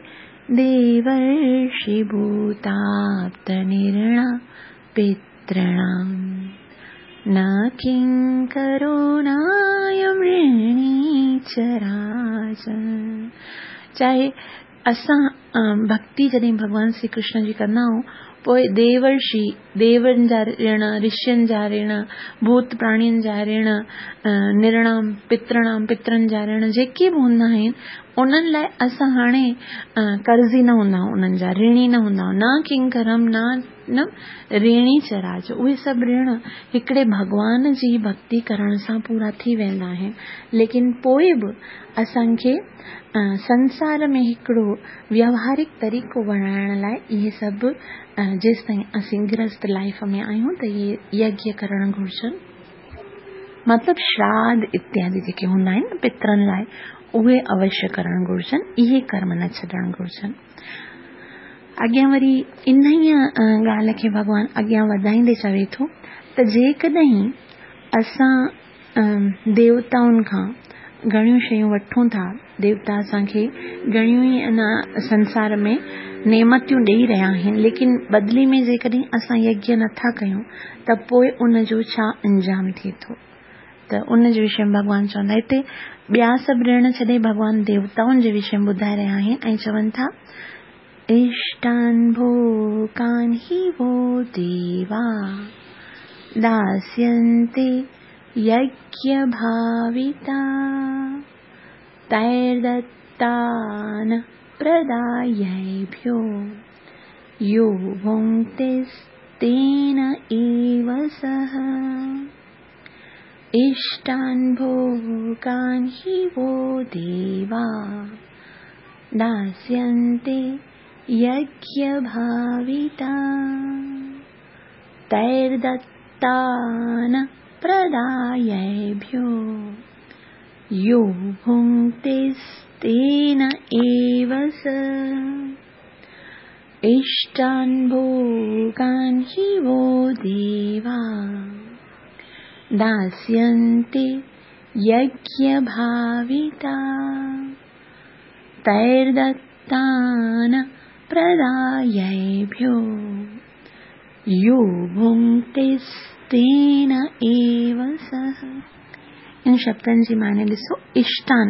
देवर्षि भूताप्त निरणा पितॄणां न किंकरो नायं ऋणी च राजन्। चाहे असां भक्ति जॾहिं भॻवान श्री कृष्ण जी कंदा आहियूं, पोइ देवर्षि, देवनि जा ऋण, ऋषियुनि जा ऋण, भूत प्राणियुनि जा ऋण, निरणाम, पितृणाम, पितरनि जा ऋण जेके बि हूंदा आहिनि, उन्हनि लाइ असां हाणे कर्ज़ी न हूंदा आहियूं, उन्हनि जा ऋणी न हूंदा आहियूं। न किंकरम न ऋणी च राज, उहे सभु ऋण हिकिड़े भॻवान जी भक्ति करण सां पूरा थी वेंदा आहिनि। लेकिन पोइ बि असांखे संसार में हिकिड़ो व्यावहारिक तरीक़ो बणाइण लाइ इहे सभु जेसि ताईं असीं गृहस्थ लाइफ में आहियूं त इहे यज्ञ करण घुर्जनि। मतिलबु श्राद्ध इत्यादि जेके हूंदा आहिनि पितरनि लाइ, उहे अवश्य करण घुर्जनि, इहे कर्म न छॾणु घुर्जनि। अॻियां वरी इन ई ॻाल्हि खे भॻवान अॻियां वधाईंदे चवे थो त जेकॾहिं असां देवताउनि खां घणियूं शयूं वठूं था, देवता असांखे घणियूं ई इन संसार में नेमतियूं ॾेई रहिया आहिनि, लेकिन बदिले में जेकॾहिं असां यज्ञ नथा कयूं त पोइ उन जो छा अंजाम थिए थो, त उन जे विषय में भॻवान चवंदा। हिते ॿिया सभु ऋण छॾे भॻवान देवताउनि जे विषय में ॿुधाए रहिया आहिनि ऐं चवनि था, इष्टान् भोगान् हि वो देवा दास्यन्ते यज्ञभाविता तैर्दत्तान् प्रदायैभ्यो यो भुङ्क्तेस्तेन एव सः। इष्टान् भोगान् हि वो देवा दास्यन्ते यज्ञभाविता तैर्दत्तान् प्रदायैभ्यो यो भुङ्क्तेस्तेन एव स। इष्टान् भोगान् हि वो देवा दास्यन्ते यज्ञभाविता तैर्दत्तान् प्रदायैभ्यो यो भुङ्क्तेस्तेन एव सः। इन शब्दनि जी माने ॾिसो, इष्टान,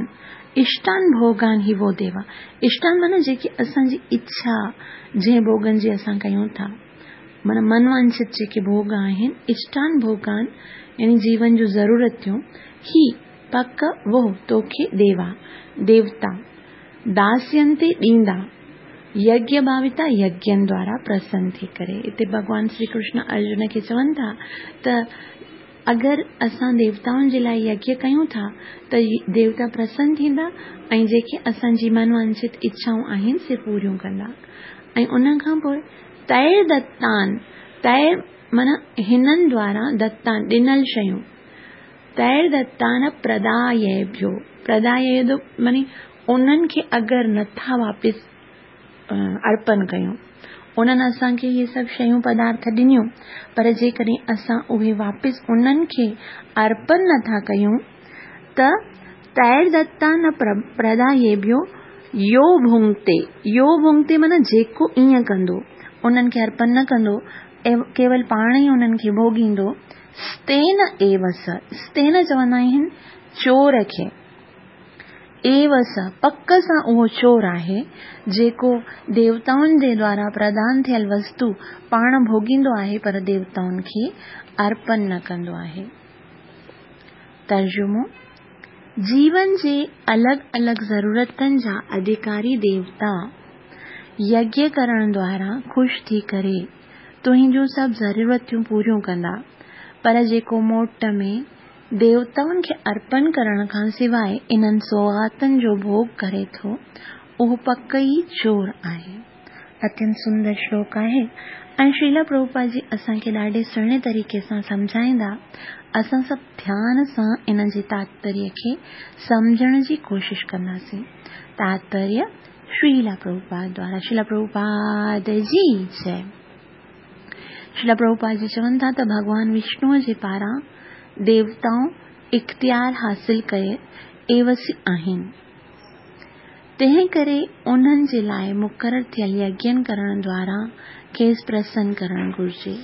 इष्टान भोगान ही वो देवा। इष्टान माना जेकी असांजी इच्छा, जंहिं भोगनि जी असां कयूं था, माना मनवांछित जेके भोग आहिनि, इष्टान भोगान यानी जीवन जूं ज़रूरतियूं, ही पक वो तोखे देवा देवता दास्यंते ॾींदा, यज्ञ भाविता यज्ञनि द्वारा प्रसन्न थी करे। हिते भॻवान श्री कृष्ण अर्जुन खे चवनि था त अगरि असां देवताउनि जे लाइ यज्ञ कयूं था त देवता प्रसन्न थींदा ऐं जेके असांजी मनवांछित इच्छाऊं आहिनि से पूरियूं कंदा। ऐं उन खां पोइ तैर दत्तान, तैर माना हिननि द्वारा दत्तान ॾिनल शयूं, तैर दत्तान प्रदायभ्यो, प्रदाय मानी उन्हनि खे अगरि नथा वापसि अर्पण कयूं, उन्हनि असांखे इहे सभु शयूं पदार्थ ॾिनियूं, पर जेकॾहिं असां उहे वापसि उन्हनि खे अर्पण नथा कयूं त तैर दत्तान प्रदायेभ्यो यो भुंक्ते, यो भुंक्ते माना जेको ईअं कंदो, उन्हनि खे अर्पण न कंदो, केवल पाण ई उन्हनि खे भोगींदो। स्तेन एव स, स्तेन चवंदा आहिनि चोर खे, एव स पक सां उहो चोर आहे जेको देवताउनि जे द्वारा प्रदान थियल वस्तु पाण भोगींदो आहे पर देवताउनि खे अर्पण न कंदो आहे। तर्जुमो, जीवन जे अलॻि अलॻि ज़रूरतनि जा अधिकारी देवता यज्ञ करण द्वारा ख़ुशि थी करे तुंहिंजूं सभु ज़रूरतियूं पूरियूं कंदा, पर जेको मोट में देवताउनि खे अर्पण करण खां सवाइ इन्हनि सौगातनि जो भोग करे थो, उहो पक ई चोर आहे। अत्यंत सुंदर श्लोक आहे ऐं श्रीला प्रभुपाद जी असांखे ॾाढे सुहिणे तरीक़े सां सम्झाईंदा। असां सभु ध्यान सां इन जे तात्पर्य खे सम्झण जी कोशिशि कंदासीं। तात्पर्य श्रीला प्रभुपाद द्वारा। श्रीला प्रभुपाद जी जय। श्रीला प्रभुपाद जी चवनि था त भॻवान विष्णुअ जे पारां देवताऊं इख़्तियार हासिल करे एवसी आहिनि। تنهن ڪري انهن جي لاء مقرر ٿيل يگين ڪرڻ دوارا کيس پرسن ڪرڻ گهرجي.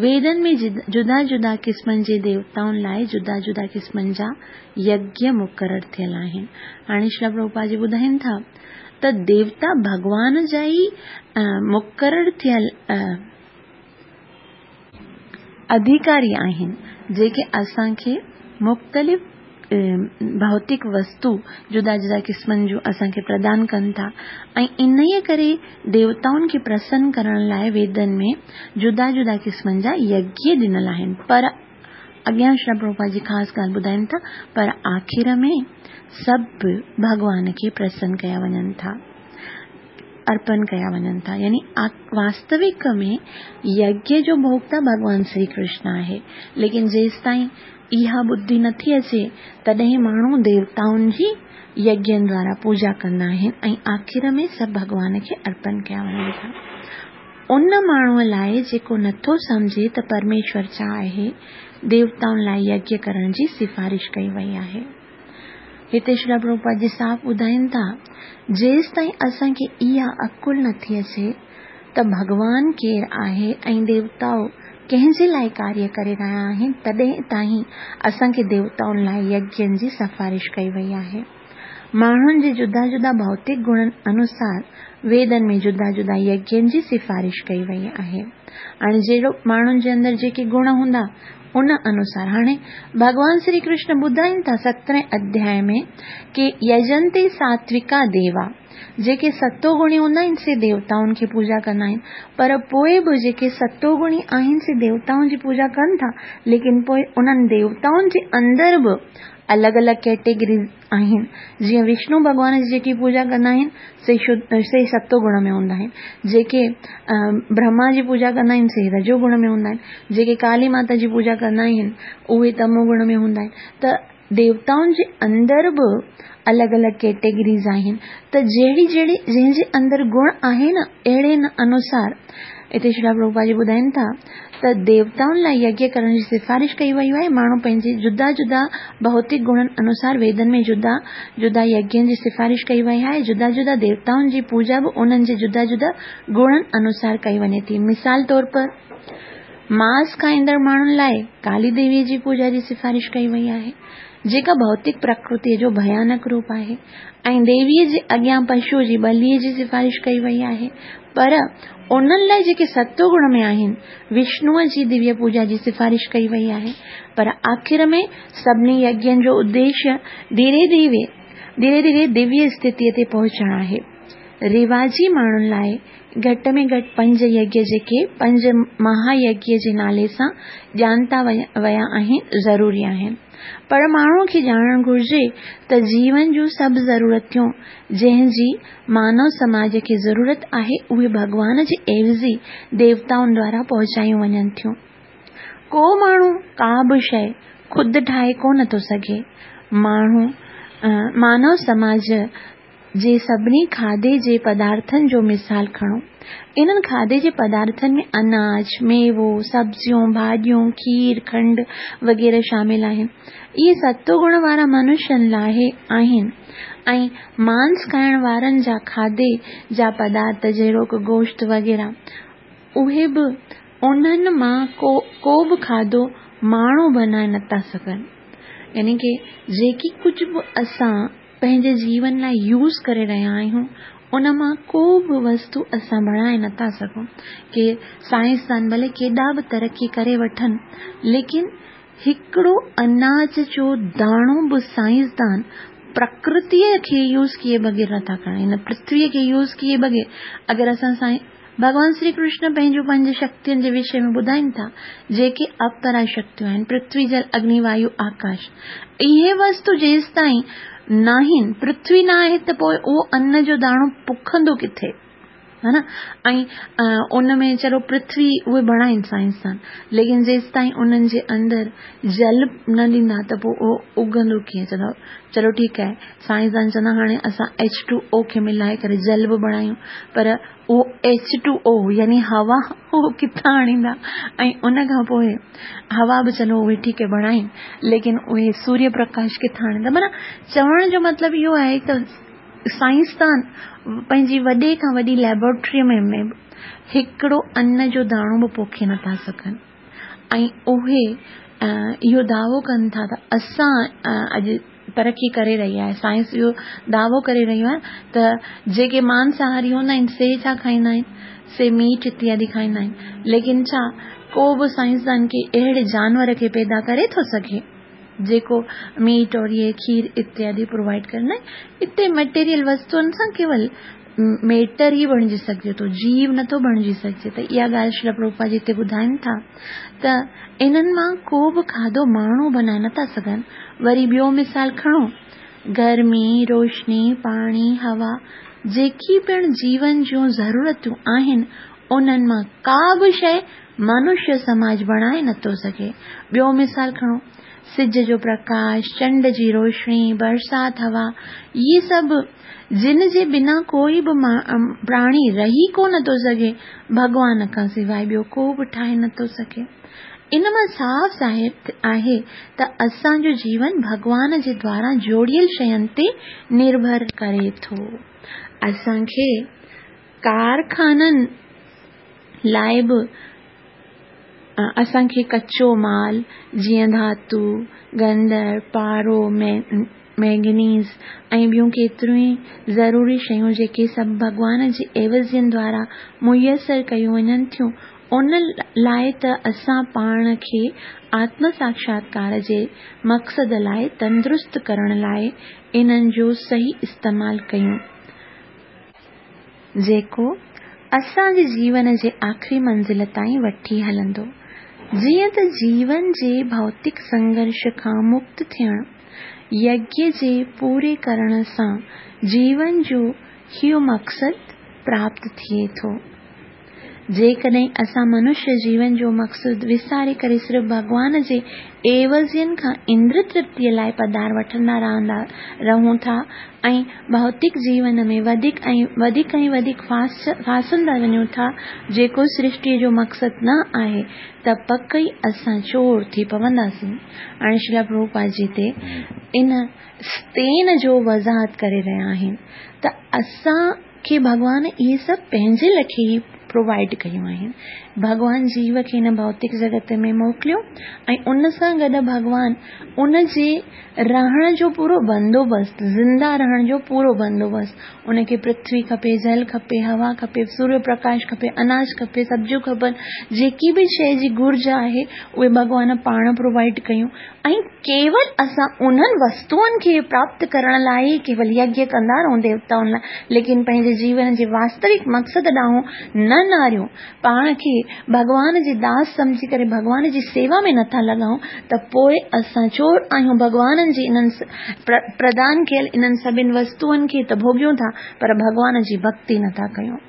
ويدن ۾ جدا جدا قسمن جي ديوتائن لاء جدا جدا قسمن جا يگيه مقرر ٿيل آهن. هاڻي شريلا پرڀوپاد جي ٻڌائين ٿا ته ديوتا ڀڳوان جا ئي مقرر ٿيل اڌيڪاري آهن، جيڪي اسان کي مختلف ڀوتڪ وستو جدا جدا قسمن جون اسان کي پردان ڪن ٿا ۽ انهيء ڪري ديوتائن کي پرسن ڪرڻ لاء ويدن ۾ جدا جدا قسمن جا يگيه ڏنل آهن پر اڳيان شريلا پرڀوپاد جي خاص ڳالهه ٻڌائين ٿا پر آخر ۾ سڀ ڀڳوان کي پرسن ڪيا وڃن ٿا. ارپن ڪيا وڃن ٿا يعني واستوڪ ۾ يگيه جو ڀوڳتا ڀڳوان شري ڪرشن آهي ليڪن جيستائين اها ٻڌي نٿي اچي تڏهن ماڻهو ديوتائن جي يگين دوارا پوڄا ڪندا آهن ۽ آخر ۾ سڀ ڀڳوان کي ارپن ڪيا وڃن ٿا. ان ماڻهوء لاء جيڪو نٿو سمجهي ته پرميشور ڇا آهي، ديوتائن لاء يگيه ڪرڻ جي سفارش ڪئي وئي آهي. هتي شريلا پرڀوپاد جي صاف ٻڌائين ٿا، جيستائين اسان کي اها عقل نٿي اچي ته ڀڳوان ڪير آهي ۽ ديوتائو ڪنهن جي لاء ڪاريه ڪري رهيا آهن، تڏهن تائين اسان کي ديوتائن لاء يگين جي سفارش ڪئي وئي آهي. ماڻهن جي جدا جدا ڀوتڪ گڻن انوسار ويدن ۾ جدا جدا يگين جي سفارش ڪئي وئي آهي. هاڻي جهڙو ماڻهن جي اندر جيڪي گڻ هوندا، ان انوسار هاڻي ڀڳوان شري ڪرشن ٻڌائين ٿا سترهين اڌياء ۾ ڪي يجنتي ساتوڪا ديوا جيڪي ستو گڻي هوندا آهن سي ديوتائن کي پوڄا ڪندا آهن پر پوء به جيڪي ستو گڻي آهن سي ديوتائن جي پوڄا ڪن ٿا ليڪن پوء انهن ديوتائن جي اندر به الڳ الڳ ڪيٽيگريز آهن. جيئن وشنو ڀڳوان جي جيڪي پوڄا ڪندا آهن، سي سي ستو گڻ ۾ هوندا آهن. جيڪي برهما جي پوڄا ڪندا آهن، سي رجو گڻ ۾ هوندا آهن. جيڪي ڪالي ماتا جي پوڄا ڪندا آهن، اهي تمو گڻ ۾ هوندا آهن. ته ديوتائن جي اندر به الڳ الڳ ڪيٽيگريز آهن. ته جهڙي جهڙي جنهن جي اندر گڻ آهي نه، اهڙي انوسار هتي شريلا پرڀوپاد جي ٻڌائين ٿا ته ديوتائن لاء يگيه ڪرڻ جي سفارش ڪئي وئي آهي. ماڻهو پنهنجي جدا جدا ڀوتڪ گڻن انوسار ويدن ۾ جدا جدا يگين جي سفارش ڪئي وئي آهي. جدا جدا ديوتائن جي پوڄا به انهن جي جدا جدا گڻن انوسار ڪئي وڃي ٿي. مثال طور پر ماس کائيندڙ ماڻهن لاء ڪالي ديويء جي پوڄا جي سفارش ڪئي وئي آهي، جيڪا ڀوتڪ پرڪرتيء جو ڀيانڪ روپ آهي ۽ ديويء جي اڳيان پشوء جي ٻليء جي سفارش ڪئي وئي آهي. پر انهن لاء جيڪي ستو گڻ ۾ آهن، وشنوء جي دويه پوڄا جي سفارش ڪئي وئي آهي. پر آخر ۾ سڀني يگين جو اديشيه ڌيري ڌيري ڌيري ڌيري دويه اسٿتيء تي پهچڻ آهي. رواجي ماڻهن لاء گهٽ ۾ گهٽ پنج يگيه جيڪي پنج مها يگيه جي نالي سان ڄانتا ويا آهن، ضروري آهن. پر ماڻهوء کي ڄاڻڻ گهرجي ته جيون جون سڀ ضرورتيون جنهن جي مانو سماج کي ضرورت آهي اهي ڀڳوان جي عيوضي ديوتائن دوارا پهچايون وڃن ٿيون. ڪو ماڻهو ڪا به شيء خود ٺاهي ڪو نه ٿو سگهي. ماڻهو مانو سماج جي سڀني کاڌي جي پدارٿن جو مثال کڻو. انهن کاڌي جي پدارٿن ۾ اناج، ميوو، سبزيون، ڀاڄيون، کير، کنڊ وغيره شامل آهن. اهي ستو گڻ وارا منشين لاء آهن ۽ مانس کائڻ وارن جا کاڌي جا پدارٿ جهڙوڪ گوشت وغيره اهي به انهن مان ڪو به کاڌو ماڻهو بنائي نٿا سگهن. يعني ڪي جيڪي ڪجهه به اسان پنهنجي جيون لاء يوز ڪري رهيا آهيون ان مان ڪو به وستو اسان بڻائي نٿا سگهون. ڪي سائنسدان ڀلي ڪيڏا به ترقي ڪري وٺن ليڪن هڪڙو اناج جو داڻو به سائنسدان پرڪرتيء کي يوز ڪيئي بغير نٿا کڻن. هن پرٿويء کي يوز ڪيئي بغير اگر اسان سائين ڀڳوان شري ڪرشن پنهنجون پنج شڪتين جي وشي ۾ ٻڌائين ٿا جيڪي اپرا شڪتيون آهن پرٿوي جل اگني وايو آڪاش اهي وستو جيستائين ناهن پرٿوي نه آهي ته پوء اهو ان جو داڻو پکندو ڪٿي؟ ها نه ۽ ان ۾ چلو پرٿوي اهي بڻائين سائنسدان ليڪن جيستائين انهن جي اندر جل نه ڏيندا ته پوء اهو اگندو ڪيئن چوندا چلو ٺيڪ آهي سائنسدان چوندا هاڻي اسان ايڇ ٽو او کي ملائي ڪري جل به بڻايون پر اهو ايڇ ٽو او يعني هوا اهو ڪٿان آڻيندا ۽ ان کان پوء هوا به چلو اهي ٺيڪ آهي بڻائين ليڪن اهي سوريه پرڪاش ڪٿان آڻيندا معنيٰ چوڻ جو مطلب اهو آهي ته سائنسدان پنهنجي وڏي کان وڏي ليبارٽريء ۾ به هڪڙو ان جو داڻو به پوکي نٿا سگهن ۽ اهي اهو دعوو ڪن ٿا ته اسان اڄ ترقي ڪري رهي آهي سائنس اهو دعوو ڪري رهيو آهي ته جيڪي مانساهاري هوندا آهن سي ڇا کائيندا آهن سي ميٽ اتيادي کائيندا آهن ليڪن ڇا ڪو به سائنسدان ڪي اهڙي جانور کي پيدا ڪري ٿو سگهي جيڪو ميٽ اور اهي کير اتيادي پرووائيڊ ڪري نه اتي مٽيريل وستوئن سان ڪيول ميٽر ئي بڻجي سگهجي ٿو جيو نٿو بڻجي سگهجي ته اها ڳالهه شريل پرڀوپاد جي هتي ٻڌائين ٿا ته انهن مان ڪو به کاڌو ماڻهو بنائي نٿا سگهن وري ٻيو مثال کڻو گرمي روشني پاڻي هوا جيڪي پڻ جيون جون ضرورتون آهن انهن مان ڪا به شيء منشيه سماج بڻائي نٿو سگهي. ٻيو مثال کڻو، سج جو پرڪاش، چنڊ جي روشني، برسات، هوا، اهي سڀ جن جي بنا ڪوئي به پراڻي رهي ڪو نه ٿو سگهي، ڀڳوان کان سواء ٻيو ڪو به ٺاهي نه ٿو سگهي. ان مان صاف ظاهر آهي ته اسان جو جيون ڀڳوان جي دواران جوڙيل شين تي نرڀر ڪري ٿو. اسان کي ڪارخانن لاء به اسان کي ڪچو مال جيئن ڌاتو، گندر، پارو، مينگنيز ۽ ٻيون ڪيتريون ئي ضروري شيون جيڪي سڀ ڀڳوان جي عيوضين دوارا ميسر ڪيون وڃن ٿيون ان لاء ته اسان پاڻ کي آتم ساڪشاتڪار جي مقصد لاء تندرست ڪرڻ لاء انهن جو صحيح استعمال ڪيون. جيڪو اسان جي جيون جي آخري منزل تائين وٺي هلندو. جيئن ته جيون جي ڀوتڪ سنگهرش کان مڪت ٿيڻ، يگيه جي پوري ڪرڻ سان جيون جو اهو مقصد پراپت ٿئي ٿو. جيڪڏهن اسان منشيه جيون جو مقصد وساري ڪري صرف ڀڳوان جي عيوضين کان اندر ترپتيء لاء پدار وٺندا رهندا رهون ٿا ۽ ڀوتڪ جيون ۾ وڌيڪ ۽ وڌيڪ ۽ وڌيڪ ڦاسندا وڃون ٿا جيڪو سرشٽيء جو مقصد نه آهي ته پڪ ئي اسان چور ٿي پونداسين. هاڻي شريلا پرڀوپاد جي هتي ان ستين جو وضاحت ڪري رهيا آهن ته اسان کي ڀڳوان اهي سڀ پنهنجي لکي ئي پرووائيڊ ڪيون آهن. ڀڳوان جيو کي هن ڀوتڪ جڳت ۾ موڪليو ۽ ان سان گڏ ڀڳوان ان جي رهڻ جو پورو بندوبست، زنده رهڻ جو پورو بندوبست، ان کي پرٿوي کپي، جل کپي، هوا کپي، سوريه پرڪاش کپي، اناج کپي، سبزيون کپن، جيڪي به شيء جي گهرج آهي اهي ڀڳوان پاڻ پرووائيڊ ڪيون ۽ ڪيول اسان انهن وستوئن کي پراپت ڪرڻ لاء ئي ڪيول يگيه ڪندا رهون ديوتائن لاء، ليڪن پنهنجي جيون جي واستوڪ مقصد ڏانهن نه نهاريون، پاڻ کي ڀڳوان جي داس سمجهي ڪري ڀڳوان جي سيوا ۾ نٿا لڳائون ته پوء اسان چور آهيون ڀڳوان جي انهن پردان ڪيل انهن سڀن وستوئن کي ته ڀوڳيون ٿا پر ڀڳوان جي ڀڳتي نٿا ڪيون.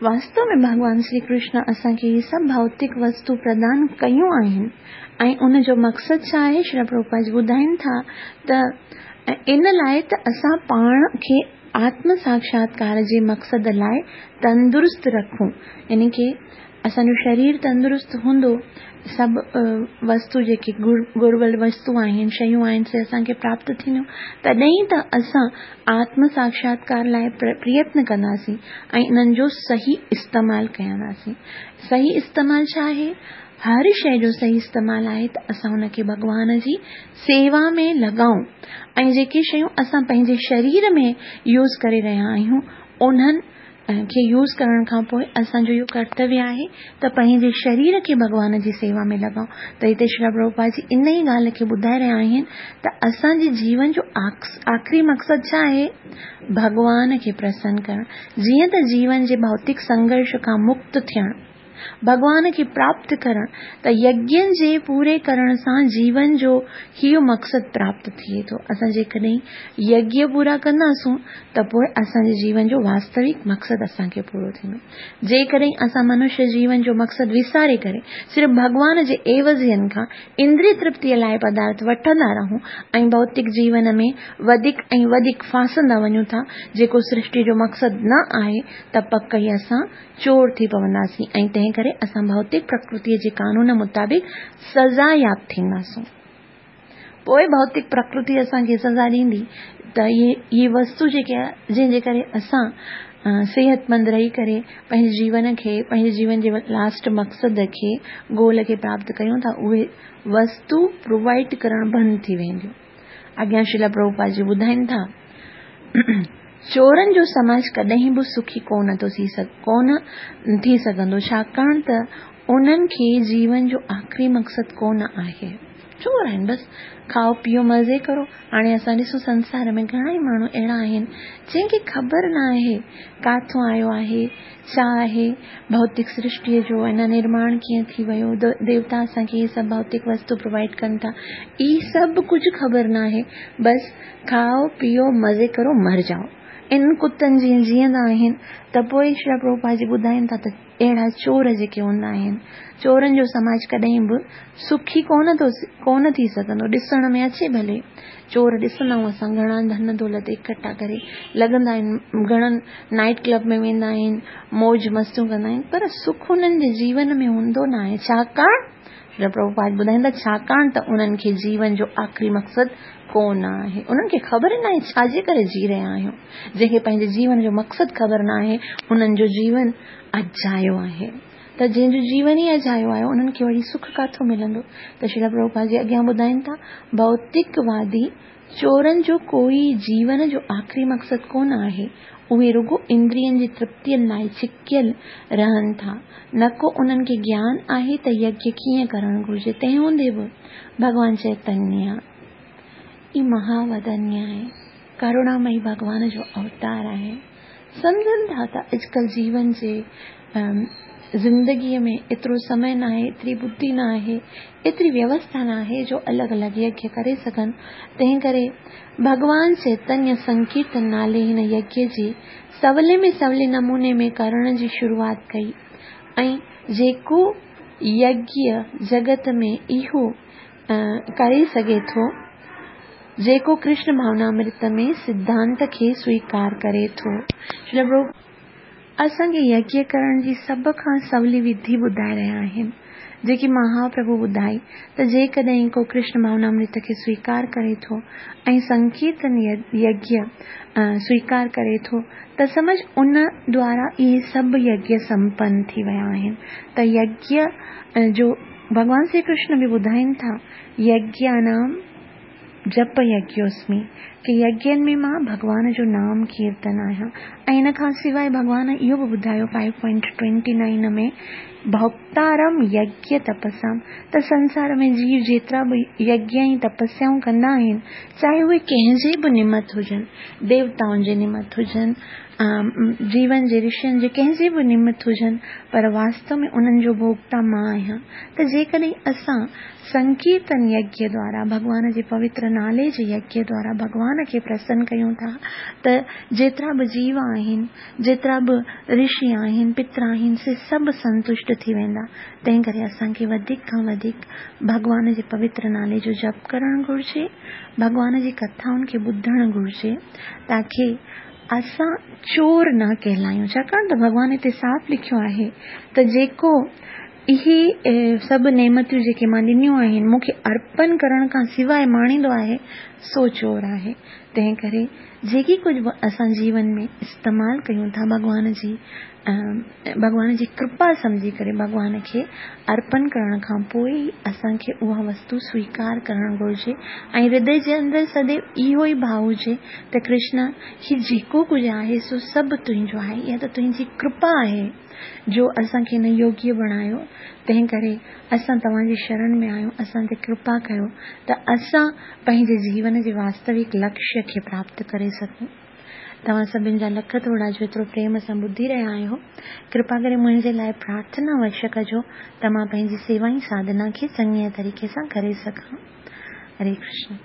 واستو ۾ ڀڳوان شري ڪرشن اسان کي هي سڀ ڀوتڪ وستو پردان ڪيون آهن ۽ ان جو مقصد ڇا آهي؟ شريل پرڀوپاد جي ٻڌائين ٿا ته ان لاء ته اسان پاڻ کي آتم ساڪشاتڪار جي مقصد لاء تندرست رکون يعني ڪي اسان جو شرير تندرست هوندو، سڀ وستو جيڪي گهربل وستو آهن، شيون آهن، سي اسان کي پراپت ٿينديون، تڏهن ئي ته اسان آتم ساڪشاتڪار لاء پريتن ڪنداسين ۽ انهن جو صحيح استعمال ڪنداسين. صحيح استعمال ڇا آهي؟ هر شيء جو صحيح استعمال آهي ته اسان ان کي ڀڳوان جي سيوا ۾ لڳائون ۽ جيڪي شيون اسان پنهنجي شرير ۾ يوز ڪري رهيا آهيون، انهن کي يوز ڪرڻ کان پوء اسان جو اهو ڪرتويه آهي ته پنهنجي شرير کي ڀڳوان جي سيوا ۾ لڳائون ته هتي شريل پرڀوپاد جي ان ئي ڳالهه کي ٻڌائي رهيا آهن ته اسان جي جيون جو آخري مقصد ڇا آهي؟ ڀڳوان کي پرسن ڪرڻ جيئن ته جيون جي ڀوتڪ سنگهرش کان مڪت ٿيڻ. ڀڳوان کي پراپت ڪرڻ ته يگين جي پوري ڪرڻ سان جيون جو اهو مقصد پراپت ٿئي ٿو. اسان جيڪڏهن يگيه پورا ڪنداسون ته پوء اسان جي جيون جو واستوڪ مقصد اسان کي پورو ٿيندو. جيڪڏهن اسان منشيه جيون جو مقصد وساري ڪري صرف ڀڳوان جي عيوضين کان اندري ترپتيء لاء پدارٿ وٺندا رهون ۽ ڀوتڪ جيون ۾ وڌيڪ ۽ وڌيڪ ڦاسندا وڃون ٿا جيڪو سرشٽي جو مقصد نه آهي ته پڪ ئي اسان چور ٿي پونداسين ۽ تنهن ڪري اسان ڀوتڪ پرڪرتيء جي قانون مطابق سزا ياب ٿينداسون. پوء ڀوتڪ پرڪرتي اسان کي سزا ڏيندي ته اهي وستو جيڪي جنهن جي ڪري اسان صحتمند رهي ڪري پنهنجي جيون کي پنهنجي جيون جي لاسٽ مقصد کي گول کي پراپت ڪيون ٿا اهي وستو پرووائيڊ ڪرڻ بند ٿي وينديون. اڳيان شريلا پرڀوپاد جي ٻڌائين ٿا چورن جو سماج ڪڏهن به سکي ڪونه ٿو ٿي ڪونه ٿي سگهندو ڇاڪاڻ ته انهن کي جيون جو آخري مقصد ڪونه آهي. چور آهن بس کائو پيئو مزي ڪرو. هاڻي اسان ڏسون سنسار ۾ گهڻا ئي ماڻهو اهڙا آهن جنهن کي خبر نه آهي ڪاٿون آيو آهي ڇا آهي ڀوتڪ سرشٽيء جو ان نرماڻ ڪيئن ٿي ويو ديوتا اسان کي هي سڀ ڀوتڪ وستو پرووائيڊ ڪن ٿا هي سڀ ڪجهه خبر نه آهي بس کائو پيئو مزي ڪرو مر جائو ان ڪتن جيئن جيئندا آهن ته پوء شريلا پرڀوپاد جي ٻڌائين ٿا ته اهڙا چور جيڪي هوندا آهن، چورن جو سماج ڪڏهن به سکي ڪونه ٿو ڪونه ٿي سگهندو، ڏسڻ ۾ اچي ڀلي چور ڏسندا آهيون اسان گهڻا ڌن دولت اڪٺا ڪري لڳندا آهن گهڻن نائيٽ ڪلب ۾ ويندا آهن موج مستيون ڪندا آهن پر سک انهن جي جيون ۾ هوندو نه آهي ڇاڪاڻ شريلا پرڀوپاد ٻڌائين ٿا ڇاڪاڻ ته انهن کي جيون جو آخري مقصد ڪو نه آهي. انهن کي خبر ئي ناهي ڇا جي ڪري جي رهيا آهيون. جنهن کي پنهنجي جيون جو مقصد خبر ناهي انهن جو جيون اجايو آهي. ته جنهن جو جيون ئي اجايو آهي انهن کي وري سک ڪاٿو ملندو؟ ته شريلا پرڀوپاد جي اڳيان ٻڌائين ٿا ڀوتڪ وادي چورن جو ڪوئي جيون جو آخري مقصد ڪونه آهي. اهي رڳو اندرين جي ترپتين لاء ڇڪيل رهن ٿا. نه ڪو انهن کي گيان آهي ته يگيه ڪيئن ڪرڻ گهرجي. تنهن هوندي به ڀڳوان چيتنيه ئي مهاودنيه آهي. ڪروڻامئي ڀڳوان جو اوتار آهي. سمجهن ٿا ته اڄڪلهه جيون جي زندگيء ۾ ايترو سمي ناهي، ايتري ٻڌي ناهي، ايتري ويوسٿا ناهي جو الڳ الڳ يگيه ڪري سگهن، تنهن ڪري ڀڳوان چيتنيه سنڪيرتن نالي هن يگيه جي سولي ۾ سولي نموني ۾ ڪرڻ جي شروعات ڪئي ۽ جيڪو يگيه جڳت ۾ اهو ڪري سگهي ٿو، جيڪو ڪرشن ڀاونامرت ۾ سڌانت کي سويڪار ڪري ٿو. اسان کي يگيه ڪرڻ جي سڀ کان سولي وڌي ٻڌائي رهيا آهن، جيڪي مهاپرڀو ٻڌائي ته جيڪڏهن ڪو ڪرشن ڀاونامرت کي سويڪار ڪري ٿو ۽ سنڪيرتن يگيه سويڪار ڪري ٿو ته سمجهه ان دوارا اهي سڀ يگيه سمپن ٿي ويا آهن ته يگيه جو ڀڳوان شري ڪرشن به ٻڌائين ٿا يگيانام جپ يگيوسمي، ڪي يگين ۾ مان ڀڳوان جو نام ڪيرتن آهيان ۽ ان کان سواء ڀڳوان اهو به ٻڌايو فائيو پوائنٽ ٽوئنٽي نائين ۾ ڀوڪتارم يگيه تپسام ته سنسار ۾ جيو جيترا به يگيه ۽ تپسيائون ڪندا آهن چاهي اهي ڪنهن جي به نمت هجن ديوتائن جي نمت هجن جيون جي رشين جي ڪنهن جي به نمت هجن پر واستو ۾ انهن جو ڀوڪتا مان آهيان ته جيڪڏهن اسان سنڪيرتن يگيه دوارا ڀڳوان جي پوتر نالي جي يگيه دوارا ڀڳوان کي پرسن ڪيون ٿا ته جيترا به جيو آهن، جيترا به رشي آهن، پتر آهن سي سڀ سنتشٽ ٿي ويندا. تنهن ڪري اسان کي وڌيڪ کان وڌيڪ ڀڳوان جي پوتر نالي جو جپ ڪرڻ گهرجي، ڀڳوان جي ڪٿائن کي ٻڌڻ گهرجي تاڪي اسان چور نه ڪهلايون ڇاڪاڻ ته ڀڳوان هتي صاف لکيو آهي ته جيڪو اهي سڀ نعمتيون جيڪي مان ڏنيون آهن، مون کي ارپن ڪرڻ کان سواء ماڻيندو آهي، سو چور آهي. تنهن ڪري جيڪي ڪجهه به اسان جيون ۾ استعمال ڪيون ٿا، ڀڳوان جي ڀڳوان جي ڪرپا سمجهي ڪري ڀڳوان کي ارپن ڪرڻ کان پوء ئي اسان کي اها وستو سويڪار ڪرڻ گهرجي ۽ هردي جي اندر سديو اهو ئي ڀاء هجي ته ڪرشن هي جيڪو ڪجهه آهي سو سڀ تنهنجو آهي، اها ته تنهنجي ڪرپا آهي. جو اسان کي هن يوگيه بڻايو، تنهن ڪري اسان توهان جي شرڻ ۾ آهيون، اسان تي ڪرپا ڪيو ته اسان پنهنجي جيون جي واستوڪ لڪشيه کي پراپت ڪري سگهون. توهان سڀن جا لک ٿورا جو ايترو پريم سان ٻڌي رهيا آهيو. ڪرپا ڪري منهنجي لاء پرارٿنا اوشيه ڪجو ته مان پنهنجي سيوا ۽ ساڌنا کي چڱيء طريقي سان ڪري سگهان. هري ڪرشن.